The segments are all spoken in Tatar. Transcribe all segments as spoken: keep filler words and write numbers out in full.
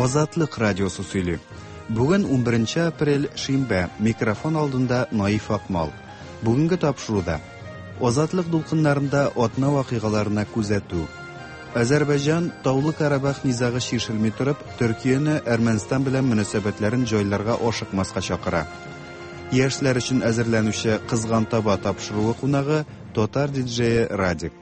Азатлык радиосы сөйли. Бүген унберенче апрель, шимбә, микрофон алдында Наиф Акмал. Бүгенге тапшыруда Азатлык дулкыннарында атна вакыйгаларына күзәтү. Азәрбайҗан Таулы Карабах низагы чишелми торып, Төркияне Әрмәнстан белән мөнәсәбәтләрен җайларга ашыкмаска чакыра. Яшьләр өчен әзерләнүче Кызган таба тапшыруы кунагы татар диджее Радик.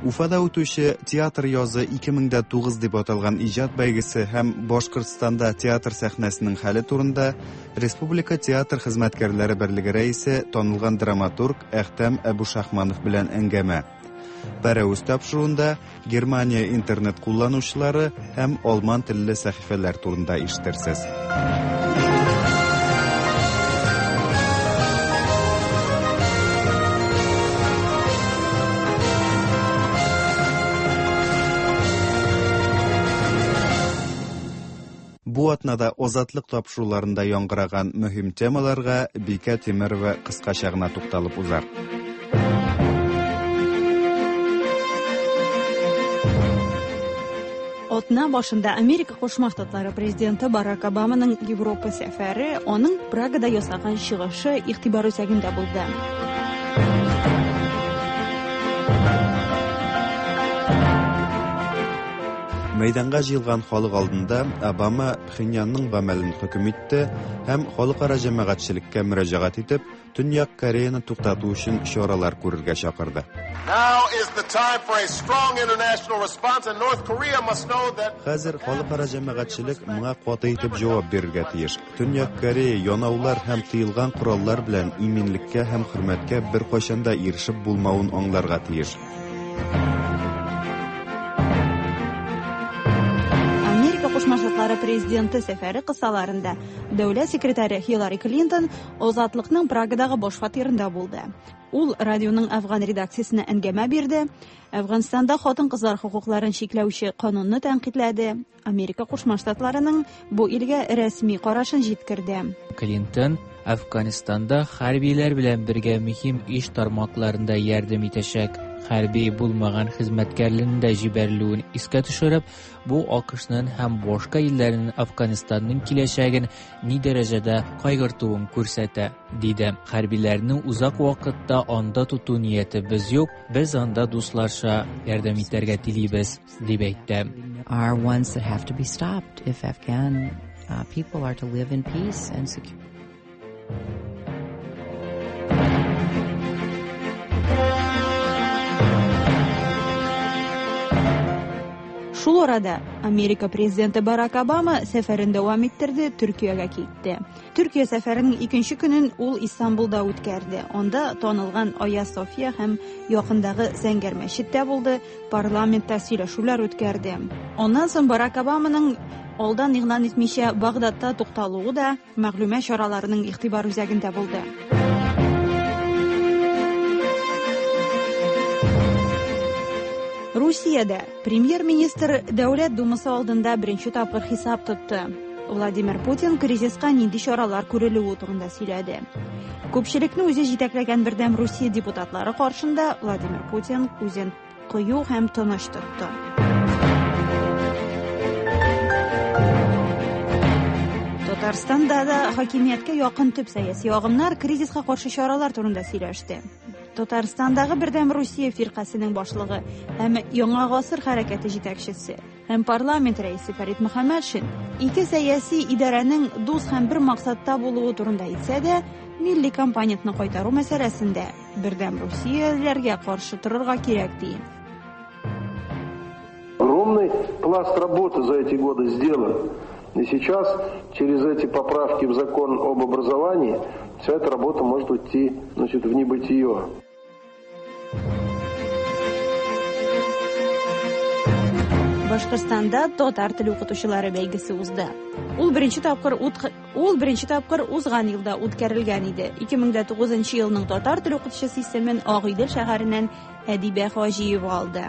Уфада үтүче театр язы ике мең дә тугыз дип аталган иҗат бәйгесе һәм Башкортстанда театр сәхнәсенең хәле турында Республика театр хезмәткәрләре берлеге рәисе, танылган драматург Әхтәм Әбүшахманов белән әңгәмә. Пәрәвез тапшыруында Германия интернет кулланучылары һәм алман телле сәхифәләр турында ишетерсез. Бу атнада Азатлык тапшыруларында яңгыраган мөһим темаларга Бикә Тимерова кыскача гына тукталып узар. Атна башында Америка Кушма Штатлары президенты Барак Обаманың Европа сәфәре, аның Прагада ясаган чыгышы игътибар үзәгендә булды. Мәйданга җыелган халык алдында Обама Пхеньянның гамәлен хөкем итте һәм халыкара җәмәгатьчелеккә мөрәҗәгать итеп, Төньяк Кореяны туктату өчен чаралар күрергә чакырды. Now is the time for a strong international response, and North Korea must know that Хәзер халыкара җәмәгатьчелек моңа каты итеп җавап бирергә тиеш. Төньяк Корея янаулар һәм тыелган кораллар белән иминлеккә һәм хөрмәткә беркайчан да ирешеп булмавын аңларга тиеш. Америка Кушма Штатлары президенты сәфәре кысаларында дәүләт секретаре Хиллари Клинтон Азатлыкның Прагадагы баш фатирында булды. Ул радионың Афган редакциясенә әңгәмә бирде. Әфганстанда хатын-кызлар хокукларын чикләүче канунны тәнкыйтьләде. Америка Кушма Штатларының бу илгә рәсми карашын җиткерде. Клинтон Әфганстанда хәрбиләр белән бергә мөһим эш тармакларында ярдәм итәчәк. Хәрби булмаган хезмәткәрләрнең дә җибәрелүен искә төшереп, бу АКШның һәм башка илләрнең Әфганстанның киләчәген ни дәрәҗәдә кайгыртуын күрсәтә, диде. Хәрбиләрне узак вакытта анда тоту ниятебез юк, без анда дусларча ярдәм итәргә телибез, дип әйтте. Are ones that have to be stopped if Afghan, uh, people are to live in peace and security. Шул арада Америка президенты Барак Обама сәфәрен дәвам иттерде, Төркиягә китте. Төркия сәфәренең икенче көнен ул Истанбулда үткәрде. Анда танылган Айя София һәм якындагы Зәңгәр мәчеттә булды, парламентта сөйләшүләр үткәрде. Аннан соң Барак Обаманың алдан игълан итмичә Багдадта тукталуы да мәгълүмат чараларының игътибар үзәгендә булды. Русиядә премьер-министр Дәүләт Думасы алдында беренче тапкыр хисап тотты. Владимир Путин кризиска нинди чаралар күрелүе турында сөйләде. Күпчелекне үзе җитәкләгән Бердәм Русия депутатлары каршында Владимир Путин үзен кыю һәм тыныч тотты. Татарстанда да хакимияткә якын төп сәяси агымнар кризиска каршы чаралар турында сөйләште. Татарстандагы Бердәм Русия фиркасының башлыгы һәм Яңа гасыр хәрәкәте җитәкчесе һәм парламент рәисе Фәрит Мөхәммәтшин ике сәяси идарәнең дус һәм бер максатта булуы турында әйтсә дә, милли компонентны кайтару мәсьәләсендә Бердәм Русияләргә каршы торырга кирәк ди. Огромный пласт работы за эти годы сделан. И сейчас через эти поправки в закон об образовании вся эта работа может уйти, значит, в небытие. Башкортстанда татар теле укытучылары бәйгесе узды. Ул беренче тапкыр ут, ул беренче тапкыр узган елда үткәрелгән иде. Ике мең дә тугызынчы елның татар теле укытучысы исемен Агыйдел шәһәреннән Әдибә Хаҗиева алды.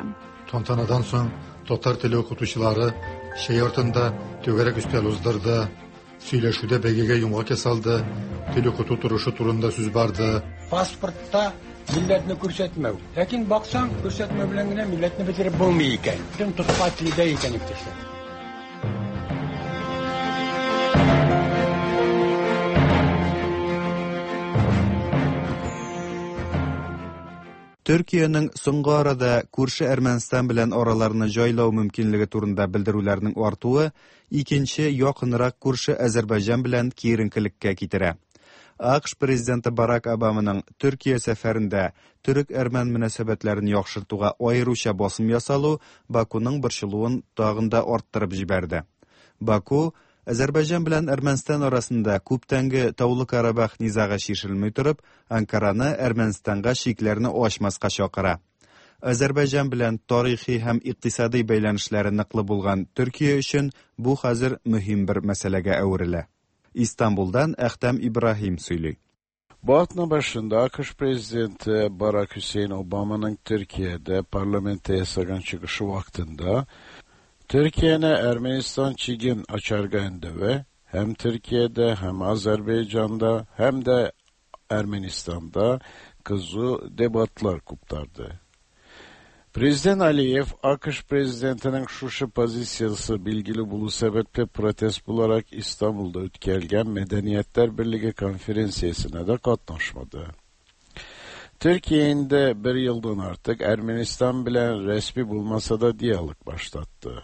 Тантанадан соң татар теле укытучылары чәй артында түгәрәк өстәл уздырды. Сөйләшүдә бәйгегә йомгак ясалды. Тел укыту торышы турында сүз барды. Паспортта милләтне күрсәтмәү. Ләкин баксаң, күрсәтмәү белән генә милләтне бетереп булмый икән. Бөтен тотка телдә икән иптәшләр. Төркиянең соңгы арада күрше Әрмәнстан белән араларны җайлау мөмкинлеге турында белдерүләрнең артуы икенче якынрак күрше Азәрбайҗан белән киеренкелеккә китерә. АКШ президенты Барак Обаманың Төркия сәфәрендә төрек-әрмән мөнәсәбәтләрен яхшыртуга аеруча басым ясалу Бакуның борчылуын тагын да арттырып җибәрде. Баку Азәрбайҗан белән Әрмәнстан арасында күптәнге Таулы Карабах низагы чишелми торып, Анкараны Әрмәнстанга чикләрне ачмаска чакыра. Азәрбайҗан белән тарихи һәм икътисади бәйләнешләре ныклы булган Төркия өчен бу хәзер мөһим бер мәсьәләгә әверелә. İstanbul'dan Әхтәм Ибраһим сөйли. Bu atna başında AKŞ Prezidenti Barack Hüseyin Obama'nın Türkiye'de parlamento yasagan çıkışı vaktinde Türkiye'ne Ermenistan çigin açarga ve hem Türkiye'de hem Azerbaycan'da hem de Ermenistan'da kızı debatlar kuptardı. Prezident Aliyev, AKŞ Prezidentinin şuşu pozitsiyası bilgili bulu sebeple protest bularak İstanbul'da ötkelgen Medeniyetler Birliği konferensiyasına da katlaşmadı. Türkiye'nin de bir yıldan artık Ermenistan bilen resmi bulmasa da diyalog başlattı.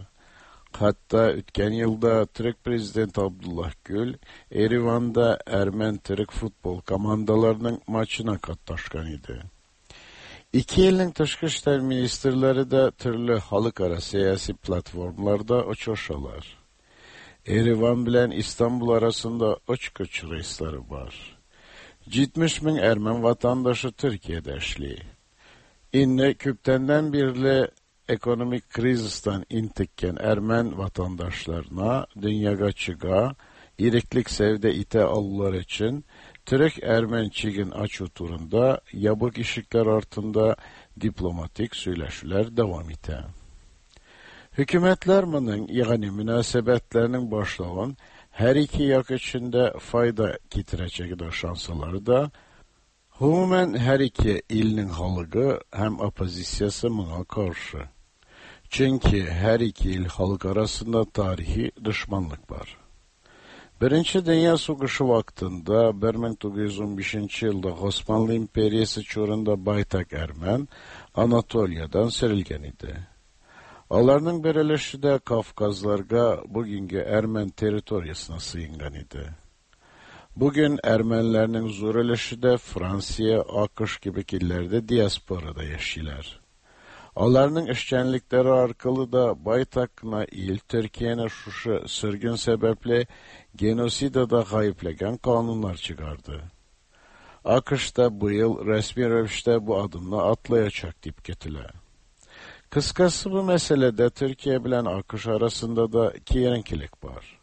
Hatta ötken yılda Türk Prezidenti Abdullah Gül, Erivan'da Ermen-Türk futbol komandalarının maçına katlaşkan idi. İki elin Tışqı İşlər Ministrləri də türlü xalqara siyasi platformlarda uçuşalar. Erivan bilen İstanbul arasında uçkuç reisleri var. yetmiş min Ermen vatandaşı Türkiye'de işliyor. İnne küptenden birli ekonomik krizisten intikken Ermen vatandaşlarına dünyaga çıga, iriklik sevde ite aldılar için Türk-Ermen çigin açı turunda yabık işikler altında diplomatik söyleşiler devam ite. Hükümetler bunun yani münasebetlerinin başlayan her iki yak içinde fayda getirecek de şansları da umumen her iki ilinin halkı hem opozisyası buna karşı. Çünkü her iki il halk arasında tarihi düşmanlık var. Birinci Dünya Savaşı vaktinde bin dokuz yüz on beşinci yılda Osmanlı İmperiyası çorunda baytak Ermen Anatolia'dan serilgen idi. Alarının bir өлеші de Kafkazlarga bugünkü Ermen teritoriyasına sığıngan idi. Bugün Ermenilerinin zor өлеші de Fransiya, AKŞ gibi illerde diasporada yaşıyorlar. Alarının işçenlikleri arkalı da baytakna il Türkiye'nin şuşu sürgün sebeple genosidada kayıplegen kanunlar çıkardı. AKŞ'da bu yıl resmi rövişte bu adımla atlayacak deyip getile. Kıskası bu meselede Türkiye bilen AKŞ arasında da kiyerenkilik var.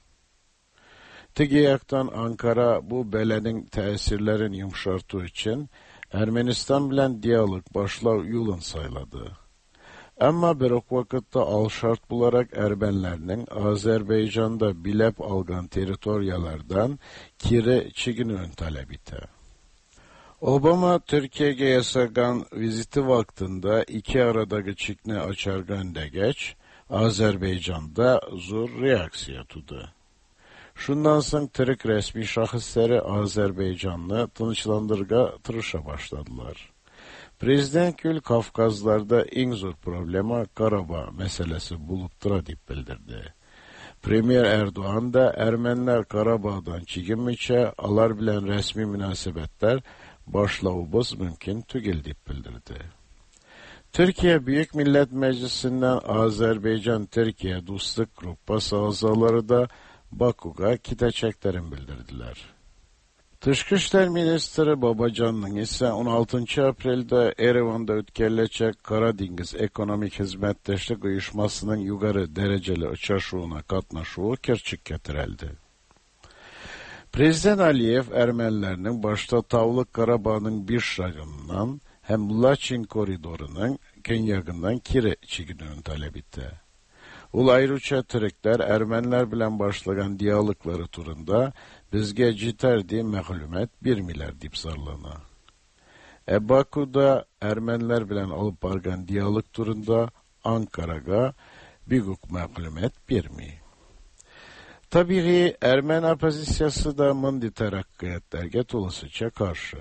Tigiyak'tan Ankara bu belenin tesirlerin yumuşartığı için Ermenistan bilen diyalog başlav yolun sayladı. Ama bir ok vakitte al şart bularak Ermenlerinin Azerbaycan'da bilep algan teritoriyalardan kiri çiginün talep ite. Obama Türkiye'ye yasagan viziti vaktinde iki aradaki çikne açargan de geç, Azerbaycan'da zor reaksiya tudu. Şundan sonra Türk resmi şahısları Azerbaycan'ı tınçlandırga tırışa başladılar. Prezident Gül Kafkazlarda en zor problema Karabağ meselesi bulup tura deyip bildirdi. Premier Erdoğan da Ermeniler Karabağ'dan çekinmişe alar bilen resmi münasebetler başlavubuz mümkün tügil deyip bildirdi. Türkiye Büyük Millet Meclisi'nden Azerbaycan-Türkiye Dostluk Grubu azaları da Baku'ya gideceklerini bildirdiler. Tışqı İşlər Ministri Babacan'ın ise on altıncı April'de Erivan'da ötkerilecek Karadeniz Ekonomik Hizmetdeşlik Uyuşması'nın yukarı dereceli uçuşuna katnaşuğu kerçik getirildi. Prezident Aliyev Ermenilerinin başta Tavlı Karabağ'ın bir şagından hem Laçin koridorunun kenyagından kiri çiginini talep etti. Ul ayrıca Türkler Ermeniler bilen başlayan diyalogları turunda bizge citer diye mağlumet bir milyar deyip zarlana. E Baku'da Ermeniler bilen alıp bargan diyalog turunda Ankara'ga biguk mağlumet bir mi? Tabii Ermeni opozisyası da mındi terakkiyatlerge tolasıca karşı.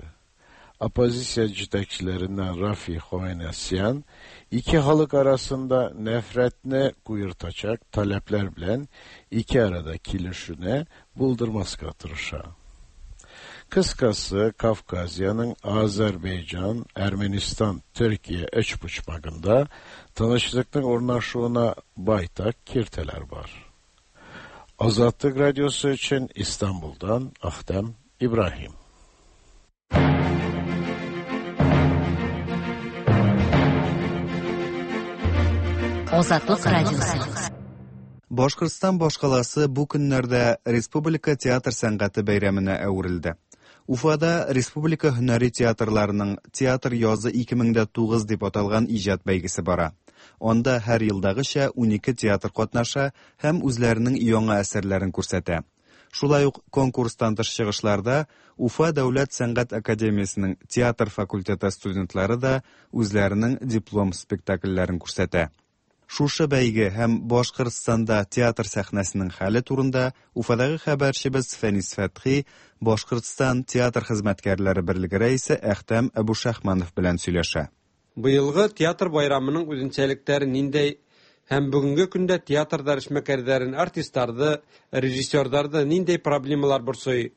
Оппозиция җитәкчеләреннән Рафи Хованесян ике халык арасында нәфрәтне куертачак таләпләр белән ике арада килешүне булдырмаска тырыша. Кыскасы, Kafkasya'nın Azerbaycan, Ermenistan, Türkiye өчпочмагында тынычлыкның урнашуына байтак киртәләр бар. Azatlık Radyosu için İstanbul'dan Ahtem İbrahim. Азатлык радиосы. Башкортстан башкаласы бу көннәрдә республика театр сәнгате бәйрәменә әверелде. Уфада республика һөнәри театрларының «Театр язы ике мең дә тугыз» дип аталган иҗат бәйгесе бара. Анда һәр елдагыча унике театр катнаша һәм үзләренең яңа әсәрләрен күрсәтә. Шулай ук конкурстан тыш чыгышларда Уфа дәүләт сәнгать академиясенең театр факультеты студентлары да үзләренең диплом спектакльләрен күрсәтә. Шушы бәйге һәм Башкортстанда театр сәхнәсенең хәле турында Уфадагы хәбәрчебез Фәнис Фәтхи Башкортстан театр хезмәткәрләре берлеге рәисе Әхтәм Әбүшахманов белән сөйләшә. Быелгы театр байрамының үзенчәлекләре ниндәй һәм бүгенге көндә театрда эшмәкәрләрен, артистларны, режиссерларны ниндәй проблемалар борчый?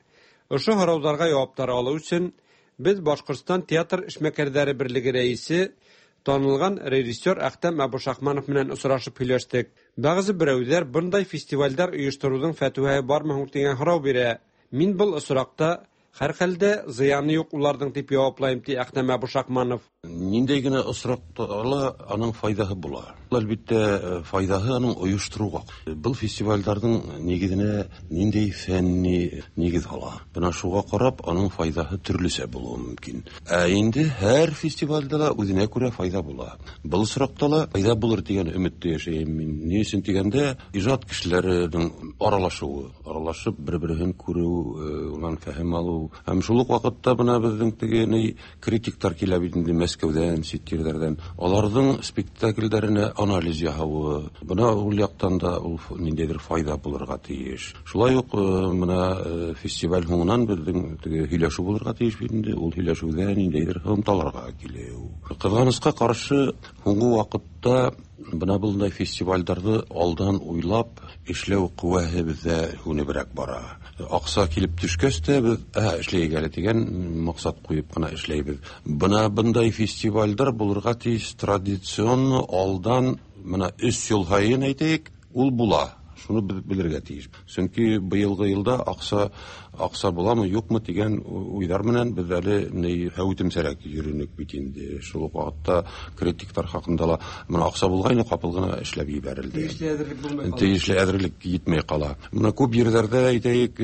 Ошо һорауларга яуаплар алу өчен без Башкортстан театр эшмәкәрләре берлеге рәисе танылган режиссер Әхтәм Әбүшахманов менән осрашып һөйләштек. Бәгъзе берәүләр бындай фестивальдәр оештыруның фәтүәе бармы һуң дигән һорау бирә. Мин был осракта һәр хәлдә зыяны юк уларның дип яуаплайым, ди Әхтәм Әбүшахманов. Ниндәй генә осракта ла аның файдаһы була. Әлбиттә, файдаһы аның оештыруга. Был фестивальдәрнең нигезенә ниндәй фәнни нигез ала. Бына шуга карап аның файдаһы төрлечә булуы мөмкин. Ә инде һәр фестивальдә лә үзенә күрә файда була. Был осракта ла файда булыр дигән өметтә яшәйм мин. Ни өчен дигәндә, ижат кешеләренең аралашуы, аралашып бер-берен күрү, унан фәһем алу. Һәм шул ук вакытта бына безнең теге ни критиктар килә бит инде Мәскәүдән, чит җирләрдән. Аларның спектакльләренә анализ яһавы, бына ул яктан да ул ниндәйдер файда булырга тиеш. Шулай ук менә фестиваль һуңыннан безнең теге һөйләшү булырга тиеш бит инде. Ул һөйләшүдә ниндәйдер һымталарга килү. Кызганыска каршы, һуңгы вакытта бына bunday фестивальдәрне алдан уйлап эшләү куәһе бездә һүнебрәк бара. Акса килеп төшкәч тә без ә эшләйек әле дигән максат куеп кына эшләйбез. Бына bunday фестивальдәр булырга тиеш традицион алдан менә өч ел һаен әйтәйек, ул була. Шуны без белергә тиеш. Чөнки быелгы елда акса акса буламы, юкмы дигән уйлар менән без әле ни һәүтемсәрәк йөренек бит инде. Шул ук вакытта критиктар хакында ла менә акса булгайны капыл гына эшләп җибәрелде. Тиешле әзерлек булмый кала. Тиешле әзерлек җитмәй кала. Менә күп җирләрдә әйтәйек,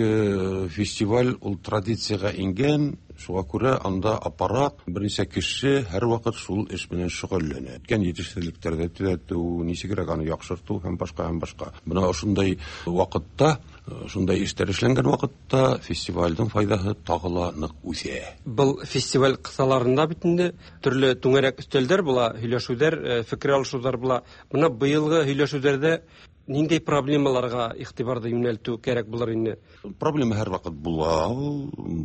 фестиваль ул традициягә ингән. Шуңа күрә анда аппарат, берничә кеше һәрвакыт шул эш белән шөгыльләнә. Үткән җитешсезлекләрдә төзәтү, ничегрәк аны яхшырту һәм башка һәм башка. Менә шундай вакытта, шундай эшләр эшләнгән вакытта фестивальнең файдаһы тагы ла нык үсә. Был фестиваль кысаларында бит инде төрле түңәрәк өстәлдәр була, һөйләшүләр, фикер алышулар була. Менә быелгы һөйләшүләрдә ниндәй проблемаларга игътибарны юнәлтү кәрәк булыр инде? Проблема һәр вакыт була,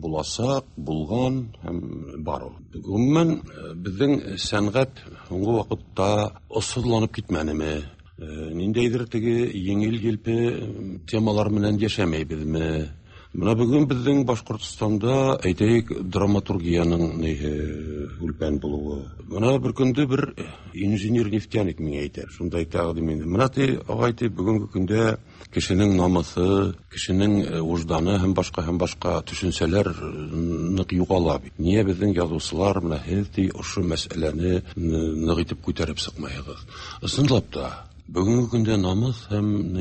буласак, булган һәм бар ул. Гомумән, безнең сәнгать һуңгы вакытта осылланып китмәнеме? Ниндәйдер теге еңел-елпе темалар белән яшәмәйбезме? Менә бүген безнең Башкортстанда, әйтәйек, драматургиянең үлпән булуы. Менә бер көндә бер инженер-нефтяник миңа әйтә, шундай тәкъдим инде. Менә ти, агай ти, бүгенге көндә кешенең намусы, кешенең вожданы һәм башка һәм башка төшенчәләр нык югала бит. Нигә безнең язучылар менә һез ти ошо мәсьәләне нык итеп күтәреп чыкмайыгыз? Чынлап та, бүгенге көндә намус һәм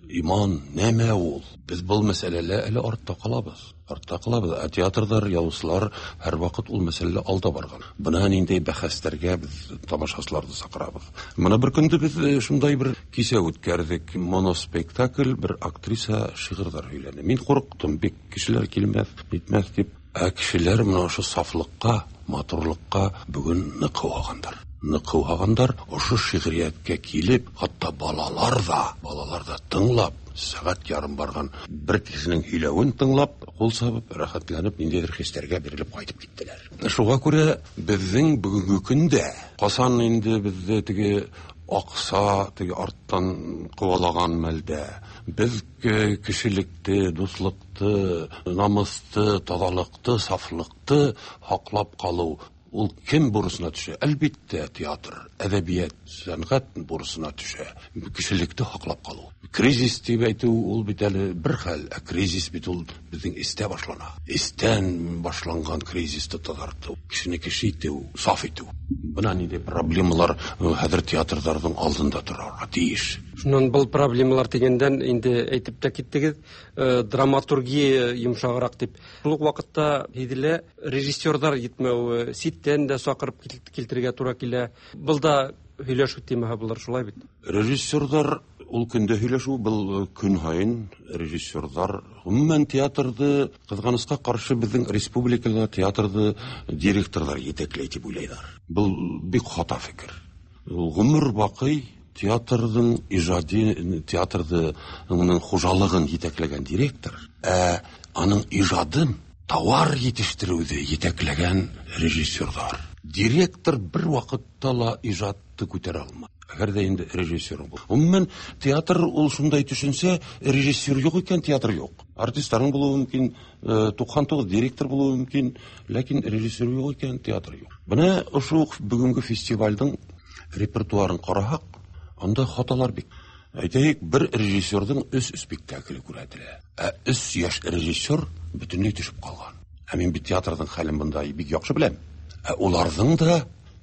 иман нәмә ул? Без был мәсьәләлә әле артта калабыз. Артта калабыз. Ә театрдар, язучылар һәрвакыт ул мәсьәләлә алда барган. Бына ниндәй бәхәсләргә без тамашачыларны чакырабыз. Менә бер көндә без шундай бер кичә үткәрдек. Моноспектакль, бер актриса шигырьләр һөйләде. Мин курыктым, бик кешеләр килмәс, нитмәс дип. Ә кешеләр менә ошо сафлыкка, матурлыкка бүген нык куагандар. нык һауһагандар. Ошо шиғрияткә килеп, хатта балалар да, балалар да тыңлап, сәғәт ярым барған бер кешенең һөйләүен тыңлап, ҡул сабып, рәхәтләнеп, ниндәйҙер хистәргә бирелеп ҡайтып киттеләр. Шуға күрә беҙҙең бөгөнгө көндә ҡасан инде беҙҙе теге аҡса теге арттан ҡыуалаған мәлдә беҙ кешелекте, дуҫлыҡты, намыҫты, таҙалыҡты, сафлыҡты һаҡлап ҡалыу ул кем бурысына төшә? Әлбиттә, театр, әҙәбиәт, сәнғәт бурысына төшә. Кешелекте һаҡлап ҡалыу. Кризис тип әйтеү ул бит әле бер хәл, ә кризис бит ул беҙҙең эстә башлана. Эстән башланған кризисты таҙартыу, кешене кеше итеү, саф итеү. Бына ниндәй проблемалар хәҙер театрҙарҙың алдында торорға тейеш. Шунан был проблемалар тигәндән инде әйтеп тә киттегеҙ, драматургия йомшағыраҡ тип. Шул уҡ ваҡытта һиҙелә режиссерҙар етмәүе, ситтән дә саҡырып килтерергә тура килә. Был да һөйләшеү темаһы булыр, шулай бит? Режиссерҙар ул көндә һөйләшеү, был көн һайын режиссерҙар ғөмүмән театрҙы, ҡыҙғанысҡа ҡаршы беҙҙең республикала театрҙы директорҙар етәкләй тип уйлайҙар. Был бик хата фекер. Ул ғүмер баҡый театрҙың ижади, театрҙың хужалығын етәкләгән директор, ә аның ижадын тауар етештереүҙе етәкләгән режиссерҙар. Директор бер ваҡытта ла ижадты күтәрә алмай. Әгәр ҙә инде режиссер бул. Ғөмүмән театр ул шундай төшөнсә, режиссер юҡ икән, театр юҡ. Артисттарың булыуы мөмкин, туҡһан туғыҙ директор булыуы мөмкин, ләкин режиссер юҡ икән, театр юҡ. Бына ошо уҡ бөгөнгө фестивалдең репертуарын ҡараһаҡ, анда хаталар бик. Әйтәйек, бер режиссерҙың өс спектакле күрһәтелә. Ә өс йәш режиссер бөтөнләй төшөп ҡалған. Ә мин бит театрҙың хәлен бында бик яҡшы беләм. Ә уларҙың да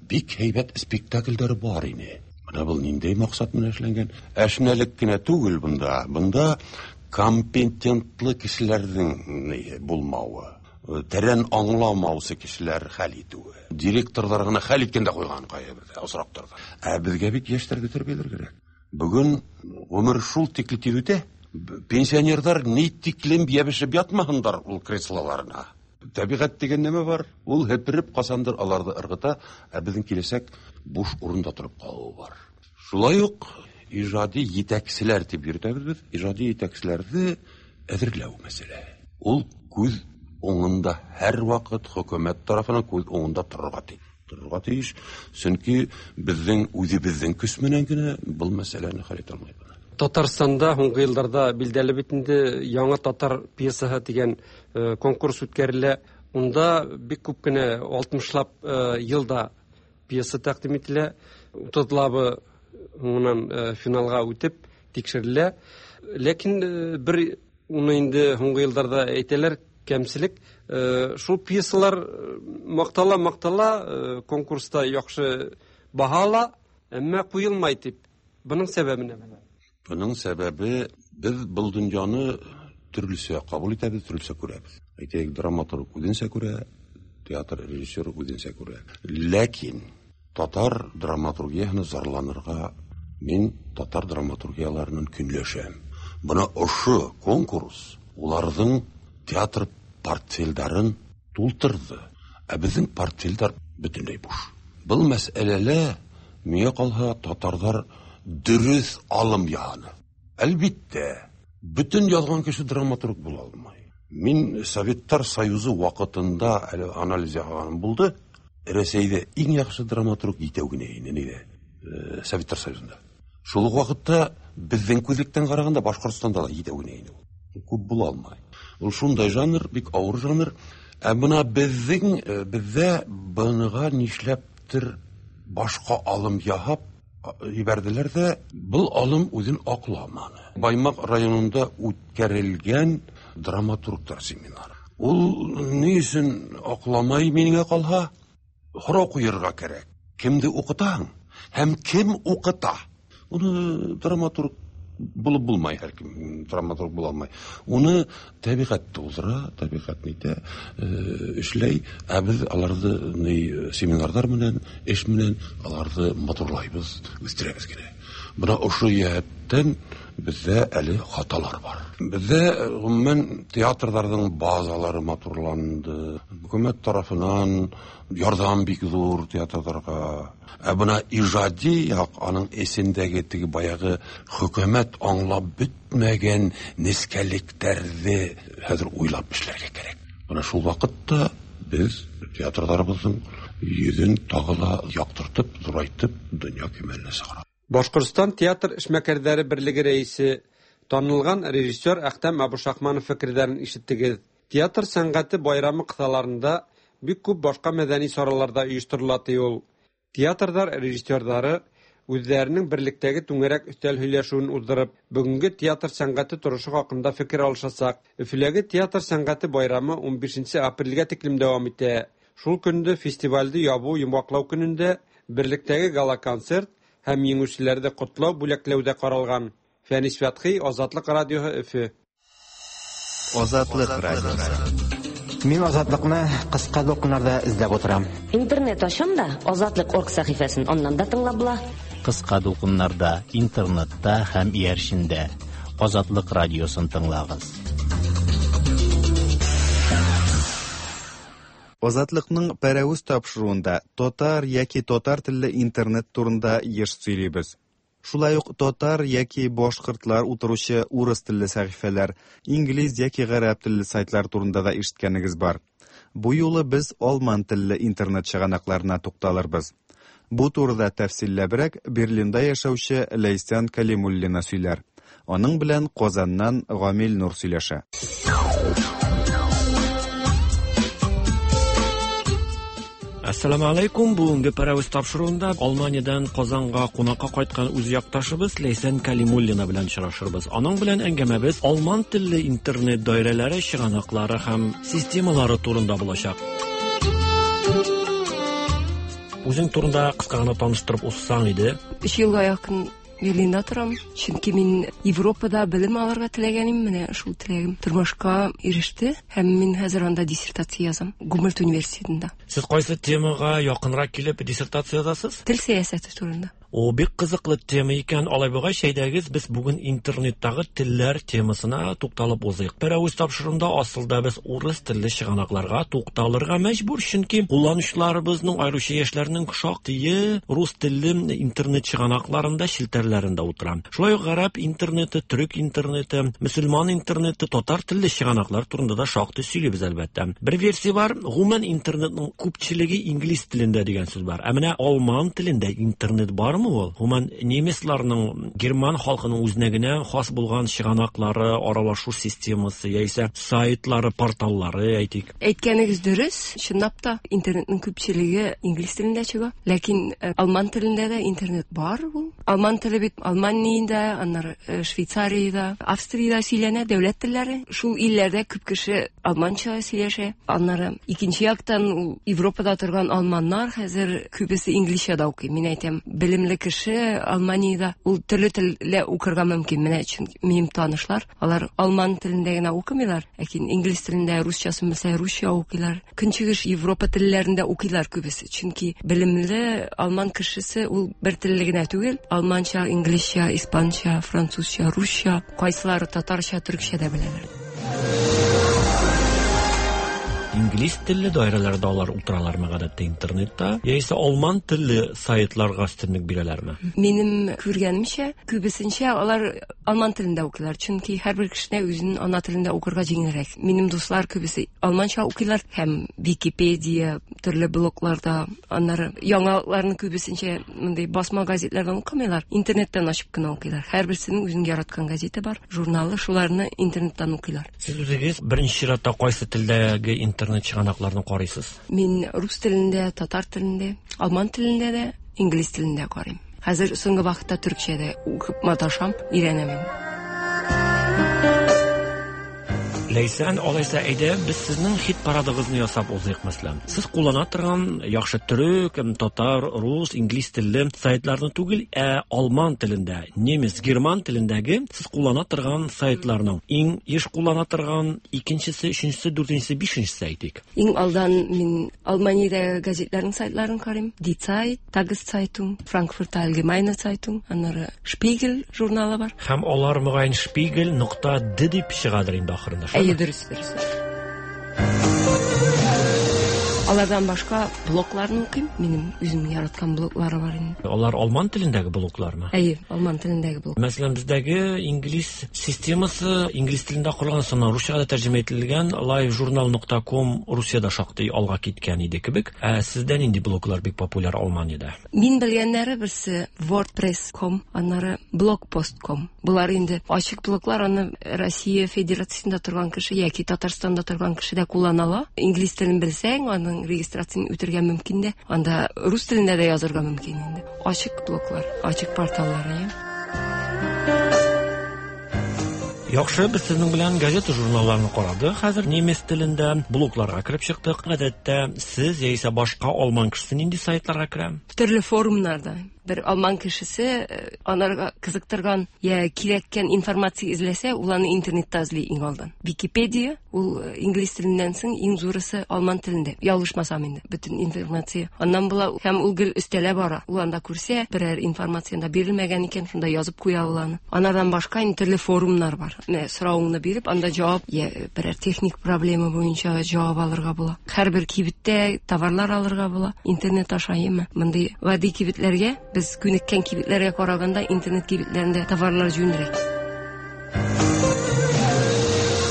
бик һәйбәт спектаклдәре бар ине. Бына был ниндәй маҡсат менән эшләнгән? Әшнәлек кенә түгел бында. Бында компетентлы кешеләрҙең булмауы, тәрән аңламаусы кешеләр хәл итеүе. Директорҙар ғына хәл иткән дә ҡуйған ҡайһы бер осраҡтарҙа. Ә беҙгә бит йәштәрҙе тәрбиәләр кәрәк. Бөгөн ғүмер шул тикле тиҙ үтә. Пенсионерҙар ни тиклем йәбешеп ятмаһындар ул креслоларына. Тәбиғәт тигән нәмә бар? Ул һепереп ҡасандыр аларҙы ырғыта, ә беҙҙең киләсәк буш урында тороп ҡалыуы бар. Шулай уҡ ижади етәкселәр тип йөрөтәбеҙ беҙ. Ижади етәкселәрҙе әҙерләү мәсьәләһе. Ул күҙ уңында һәр ваҡыт хөкүмәт тарафынан күҙ уңында торорға тейеш. Торорға тейеш, сөнки беҙҙең үҙебеҙҙең көс менән генә был мәсьәләне хәл итә алмайбыҙ. Татарстанда һуңғы йылдарҙа билдәле бит инде яңы татар пьесаһы тигән конкурс үткәрелә. Унда бик күп кенә алтмышлап йылда пьеса тәҡдим ителә. Утыҙлабы һуңынан финалға үтеп тикшерелә. Ләкин бер уны инде һуңғы йылдарҙа әйтәләр, кәмселек. Шул пьесалар маҡтала маҡтала конкурста яҡшы баһа ала, әммә ҡуйылмай тип. Бының сәбәбе нимәлә? Бының сәбәбе, беҙ был донъяны төрлөсә ҡабул итәбеҙ, төрлөсә күрәбеҙ. Әйтәйек, драматург үҙенсә күрә, театр режиссеры үҙенсә күрә. Ләкин татар драматургияһына зарланырға мин татар драматургияларынан көнләшәм. Бына ошо конкурс уларҙың театр портфелдәрен тултырҙы. Ә беҙҙең портфелдәр бөтөнләй буш. Был мәсьәләлә миңә ҡалһа татарҙар дөрөҫ алым яһаны. Әлбиттә, бөтөн яҙған кеше драматург була алмай. Мин Советтар Союзы ваҡытында әле анализ яһағаным булды. Рәсәйҙә иң яҡшы драматург етәү генә ине, ниҙә? Советтар Союзында. Шул уҡ ваҡытта беҙҙең күҙлектән ҡарағанда Башҡортостанда ла етәү генә ине ул. Күп була алмай. Ул шундай жанр, бик ауыр жанр. Ә бына беҙҙең, беҙҙә быныға нишләптер башҡа алым яһап ебәрҙеләр ҙә, был алым үҙен аҡламаны. Баймаҡ районында үткәрелгән драматургтар семинары. Ул ни өсөн аҡламай миңә ҡалһа, һорау ҡуйырға кәрәк. Кемде уҡытаһың һәм кем уҡыта? Уны драматург булып булмай, һәр кем драматург була алмай. Уны тәбиғәт тултыра, тәбиғәт нитә, эшләй. Ә беҙ аларҙы ни семинарҙар менән, эш менән аларҙы матурлайбыҙ, үҫтерәбеҙ генә. Бына ошо йәһәттән беҙҙә әле хаталар бар. Беҙҙә ғөмүмән театрҙарҙың базалары матурланды. Хөкүмәт тарафынан ярҙам бик ҙур театрҙарға. Ә бына ижади яҡ, аның эсендәге теге баяғы хөкүмәт аңлап бөтмәгән нескәлектәрҙе хәҙер уйлап эшләргә кәрәк. Бына шул ваҡытта беҙ театрҙарыбыҙҙың йөҙөн тағы ла яҡтыртып, ҙурайтып, донъя кимәленә сығара. Башҡортостан театр эшмәкәрҙәре берлеге рәйесе, танылған режиссер Әхтәм Абушахманов фекерҙәрен ишеттегеҙ. Театр сәнғәте байрамы ҡыҫаларында бик күп башҡа мәҙәни саралар ҙа ойошторола, ти ул. Театрҙар режиссерҙары үҙҙәренең берлектәге түңәрәк өҫтәл һөйләшеүен уҙҙырып, бөгөнгө театр сәнғәте торошо хаҡында фекер алышасаҡ. Өфөләге театр сәнғәте байрамы ун бишенсе апрелгә тиклем дауам итә. Шул көндө фестивалде ябыу йомғаҡлау көнөндә берлектәге гала-концерт һәм еңеүселәрҙе ҡотлау бүләкләү ҙә ҡаралған. Фәнис Фәтхи, Азатлыҡ радиоһы, Өфө. Азатлыҡ радиоһы. Мин Азатлыҡны ҡыҫҡа дулҡыннарҙа эҙләп ултырам. Интернет ашам да Азатлыҡ орг сәхифәсен аннан да тыңлап була. Ҡыҫҡа дулҡыннарҙа, интернетта һәм эйәршендә Азатлыҡ радиосын тыңлағыҙ. Азатлыҡның Пәрәүез тапшырыуында татар йәки татар телле интернет турында йыш сөйләйбеҙ. Шулай уҡ татар йәки башҡортлар утырыусы урыҫ телле сәхифәләр, инглиз йәки ғәрәп телле сайтлар турында да ишеткәнегеҙ бар. Бу юлы беҙ алман телле интернет сығанаҡтарына туҡталырбыҙ. Бу турыда тәфсилләберәк Берлинда йәшәүсе Ләйсән Кәлимуллина сөйләр. Аның белән Ҡазаннан Гамил Нур сөйләшә. Ассаламу алейкум. Бүгенге Пәрәүез тапшырыуында Алманиядан Казанга кунакка кайткан үз якташыбыз Ләйсән Кәлимуллина белән очрашырбыз. Аның белән әңгәмәбез алман телле интернет даирәләре, чыганаклары һәм системалары турында булачак. Үзең турында кыска гына таныштырып узсаң иде. Өч елга якын Берлинда торам, чөнки мин Европада белем алырга теләгәнем, менә шул теләгем тормышка иреште һәм мин хәзер анда диссертация язам Гумбольдт университетында. Сез кайсы темага якынрак килеп диссертация язасыз? Тел сәясәте турында. О, бик кызыклы тема икән. Алай булгач, әйдәгез, без бүген интернеттагы телләр темасына тукталып узыйк. Пәрәүез тапшыруында асылда без урыс телле чыганакларга тукталырга мәҗбүр, чөнки кулланучыларыбызның, аеруча яшьләрнең шактые рус телле интернет чыганакларында, челтәрләрендә утыра. Шулай ук гарәп интернеты, төрек интернеты, мөселман интернеты, татар телле чыганаклар турында да шактый сөйлибез әлбәттә. Бер версия бар, гомумән интернетның күпчелеге инглиз телендә дигән сүз бар. Ә менә алман телендә интернет бармы? Ул гомумән немецларның, герман халкының үзенә генә хас булган чыганаклары, аралашу системасы яисә сайтлары, порталлары әйтик. Әйткәнегез дөрес, чынлап та интернетның күпчелеге инглиз телендә чыга, ләкин алман телендә дә интернет бар ул. Алман теле бит Алманиядә, аннары Швейцариядә, Австриядә сөйләнә, дәүләт телләре. Шул илләрдә күп кеше алманча сөйләшә. Аннары икенче яктан ул Европада торган алманнар хәзер күбесе инглизчә дә укый. Мин әйтәм, белемле кеше Алманиядә ул төрле телдә укырга мөмкин. Менә чөнки минем танышлар, алар алман телендә генә укымыйлар, ләкин инглиз телендә, русчасын белсә, русча укыйлар. Көнчыгыш Европа телләрендә укыйлар күбесе. Чөнки белемле алман кешесе ул бер телле генә түгел, алманча, инглизчә, испанча, французча, русча, кайсылары татарча, төркчә дә беләләр. Инглиз телле даирәләрдә алар утыралармы гадәттә интернетта, яисә алман телле сайтларга өстенлек бирәләрме? Минем күргәнемчә, күбесенчә алар алман телендә укыйлар, чөнки һәрбер кешенә үзенең ана телендә укырга җиңелрәк. Минем дуслар күбесе алманча укыйлар һәм Википедия, төрле блогларда, аннары яңалыкларны күбесенчә мондый басма газетләрдән укымыйлар, интернеттан ачып кына укыйлар. Һәрберсенең үзенең яраткан газеты бар, журналы, шуларны интернеттан укыйлар. Сез үзегез беренче чиратта кайсы телдәге интернет чыганакларын карыйсыз? Мин рус телендә, татар телендә, алман телендә дә, инглиз телендә карыйм. Хәзер соңгы вакытта төркчә дә укып маташам, өйрәнәм. Ләйсән, алайса әйдә, без сезнең хит парадыгызны ясап узыйк, мәсәлән. Сез куллана торган яхшы төрек, татар, рус, инглиз телле сайтларны түгел, ә алман телендә, немец, герман телендәге сез куллана торган сайтларның иң еш куллана торган икенчесе, өченчесе, дүртенчесе, бишенчесе әйтик. Иң алдан мин Алманиядәге газетларның сайтларын карыйм. Die Zeit, Tageszeitung, Frankfurter Allgemeine Zeitung, аннары Spiegel журналы бар. Һәм алар мөгаен Spiegel нокта д дип чыгадыр инде ахырында. Әйе, дөрес, дөрес. Алардан башка блогларны укыйм. Минем үзем яраткан блоглары бар инде. Алар алман телендәге блоглармы? Әйе, алман телендәге блог. Мәсәлән, бездәге инглиз системасы инглиз телендә корылган, соңыннан русчага да тәрҗемә ителгән livejournal нокта ком Русиядә шактый алга киткән иде кебек. Ә сездә нинди блоглар бик популяр Алманиядә? Мин белгәннәре берсе wordpress нокта ком, аннары blogpost нокта ком. Булар инде ачык блоглар, аны Россия Федерациясендә торган кеше яки Татарстанда торган кеше дә куллана ала. Инглиз телен белсәң, аның регистрацияны үтергә мөмкин дә, анда рус телендә дә язырга мөмкин инде. Ачык блоглар, ачык порталлар, әйе. Яхшы, без сезнең белән газета журналларны карадык. Хәзер немец телендә блогларга кереп чыктык. Гадәттә сез яисә башка алман кешесе нинди сайтларга керә? Төрле форумнарда. Бер алман кешесе анарга кызыктырган я кирәккән информация эзләсә, ул аны интернетта эзли иң алдан. Википедия, ул инглиз теленнән соң иң зурысы алман телендә. Ялгышмасам инде, бөтен информация аннан була һәм ул гел өстәлә бара. Ул анда күрсә, берәр информация анда бирелмәгән икән, шунда язып куя ул аны. Анардан башка инде төрле форумнар бар. Менә соравыңны биреп, анда җавап, я берәр техник проблема буенча җавап алырга була. Һәрбер кибеттә товарлар алырга була. Интернет аша, әйеме? Мондый гади кибетләргә, без күнеккән кибетләргә караганда интернет кибетләрендә товарлар җүнрәк.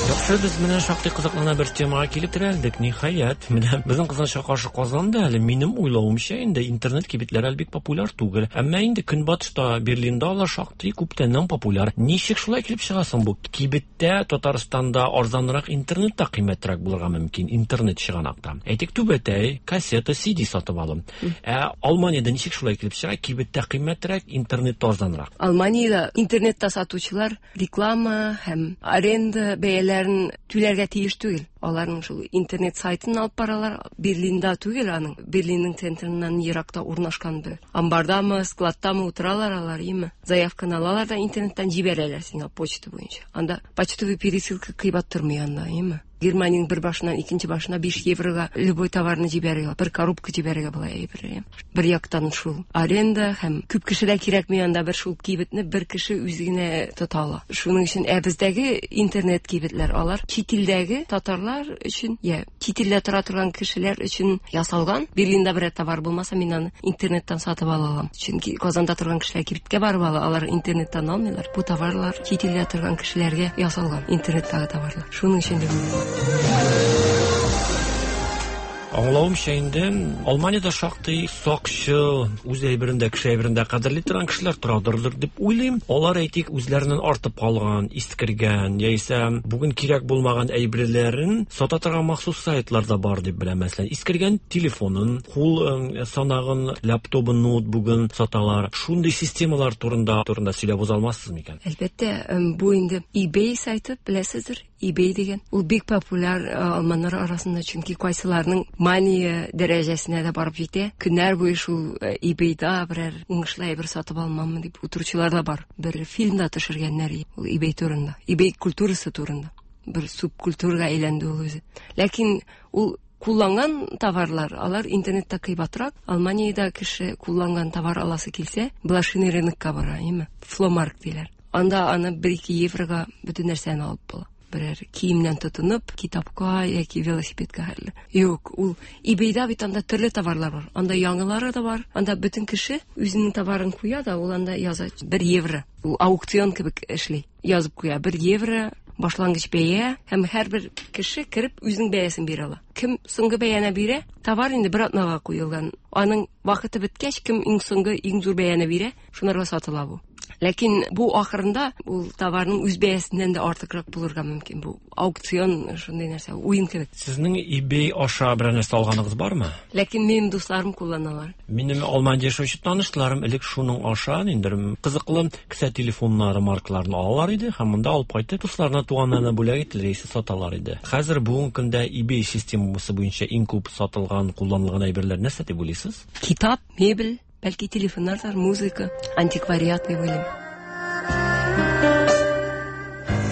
Яхшы, без менә шактый кызыклана бер темага килеп терәлдек. Ниһаять, менә безнең кызганычка каршы Казанда әле минем уйлавымча инде интернет кибетләре әле бик популяр түгел. Әмма инде Көнбатышта, Берлинда алар шактый күптәннән популяр. Ничек шулай килеп чыга соң бу? Кибеттә Татарстанда арзанрак, интернетта кыйммәтрәк булырга мөмкин, интернет чыганакта. Әйтик, түбәтәй, кассета, си ди сатып алым. Ә Алманиядә ничек шулай килеп чыга? Кибеттә кыйммәтрәк, интернетта арзанрак. Алманиядә интернетта сатучылар реклама һәм аренда бәяләрен түләргә тиеш түгел. Аларның шул интернет сайтын алып баралар. Берлинда түгел аның. Берлинның центрыннан еракта урнашкан бер амбардамы, складтамы утыралар алар, име? Заявканы алалар да интернеттан җибәрәләр сиңа почта буенча. Анда почтовый пересылка кыйбат тормый анда, име? Германиянең бер башыннан икенче башына биш еврога любой товарны җибәрергә, бер коробка җибәрергә була әйбер. Бер яктан шул аренда һәм күп кешедә кирәкми анда бер шул кибетне бер кеше үзе генә тота ала. Шуның өчен ә бездәге интернет кибетләр алар чит илдәге татарлар өчен, я чит илдә тора торган кешеләр өчен ясалган. Берлинда берәр товар булмаса, мин аны интернеттан сатып ала алам. Чөнки Казанда торган кешеләр кибеткә барып ала, алар интернеттан алмыйлар. Бу товарлар чит илдә торган кешеләргә ясалган интернеттагы товарлар. Шуның өчен дә Аңлавымча инде Алманиядә шактый сакчыл, үз әйберендә, кеше әйберендә кадерли торган кешеләр торадыр дип уйлыйм. Алар әйтик, үзләреннән артып калган, искергән яисә бүген кирәк булмаган әйберләрен сата торган махсус сайтлар да бар дип беләм. Мәсәлән, искергән телефонын, кул санагын, лаптобын, ноутбугын саталар. Шундый системалар турында турында сөйләп уза алмассыз микән? Әлбәттә, бу инде eBay сайты, беләсездер. eBay дигән. Ул бик популяр алманнар арасында, чөнки кайсыларның мания дәрәҗәсенә дә барып җитә. Көннәр буе шул eBayда берәр уңышлы әйбер сатып алмаммы дип утыручылар да бар. Бер фильм да төшергәннәр ул eBay турында, eBay культурасы турында. Бер субкультурага әйләнде ул үзе. Ләкин ул кулланган товарлар, алар интернетта кыйбатрак. Алманиядә кеше кулланган товар аласы килсә, блошиный рынокка бара, әйеме? Фломарк диләр. Анда аны бер-ике еврога бөтен нәрсәне алып була. Берәр киемнән тотынып, китапка яки велосипедка хәтле. Юк, ул eBayда бит анда төрле товарлар бар. Анда яңалары да бар. Анда бөтен кеше үзенең товарын куя да, ул анда яза бер евро. Ул аукцион кебек эшли. Язып куя бер евро башлангыч бәя һәм һәрбер кеше кереп үзенең бәясен бирә ала. Кем соңгы бәяне бирә, товар инде бер атнага куелган. Аның вакыты беткәч, кем иң соңгы, иң зур бәяне бирә, шунарга сатыла бу. Ләкин бу ахырында ул товарның үз бәясеннән дә артыграк булырга мөмкин. Бу аукцион шундый нәрсә, уен кебек. Сезнең eBay аша берәр нәрсә алганыгыз бармы? Ләкин минем дусларым кулланалар. Минем Алманияда яшәүче танышларым элек шуның аша ниндидер кызыклы кесә телефоннары маркаларын алалар иде һәм монда алып кайтып дусларына, туганнарына бүләк ителер яисә саталар иде. Хәзер бүгенге көндә eBay системасы буенча иң күп сатылган, кулланылган әйберләр нәрсә дип уйлыйсыз? Китап, мебель, бәлки телефоннар, музыка, антиквариат дип уйлыйм.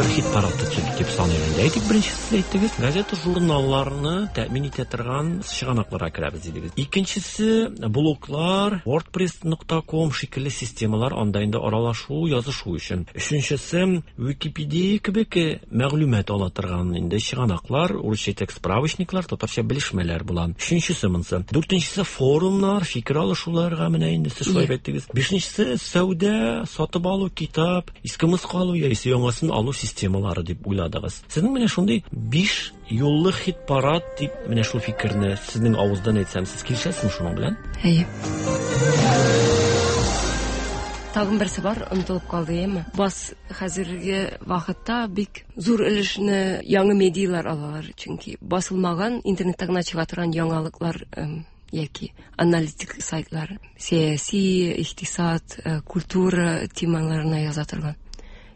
Бер хит-парад төзек дип саныйм инде. Әйтик, беренчесе әйттегез, газета, журналларны тәэмин итә торган чыганакларга керәбез дидегез. Икенчесе блоглар, wordpress нокта ком шикелле системалар, анда инде аралашу, язышу өчен. Өченчесе Wikipedia кебек мәгълүмат ала торган инде чыганаклар, урысча әйтсәк справочниклар, татарча белешмәләр була. Өченчесе монысы. Дүртенчесе форумнар, фикер алышуларга менә инде сез шулай әйттегез. Бишенчесе сәүдә, сатып алу, китап, иске мыскы алу яисә яңасын алу системалары дип уйладыгыз. Сезнең менә шундый биш юллы хит-парад дип менә шул фикерне сезнең авыздан әйтсәм, сез килешәсезме шуның белән? Әйе. Тагын берсе бар, онытылып калды, әйеме? Бас хәзерге вакытта бик зур өлешне яңа медиалар алалар, чөнки басылмаган интернетта гына чыга торган яңалыклар яки аналитик сайтлар, сәяси, икътисад, культура темаларына яза торган.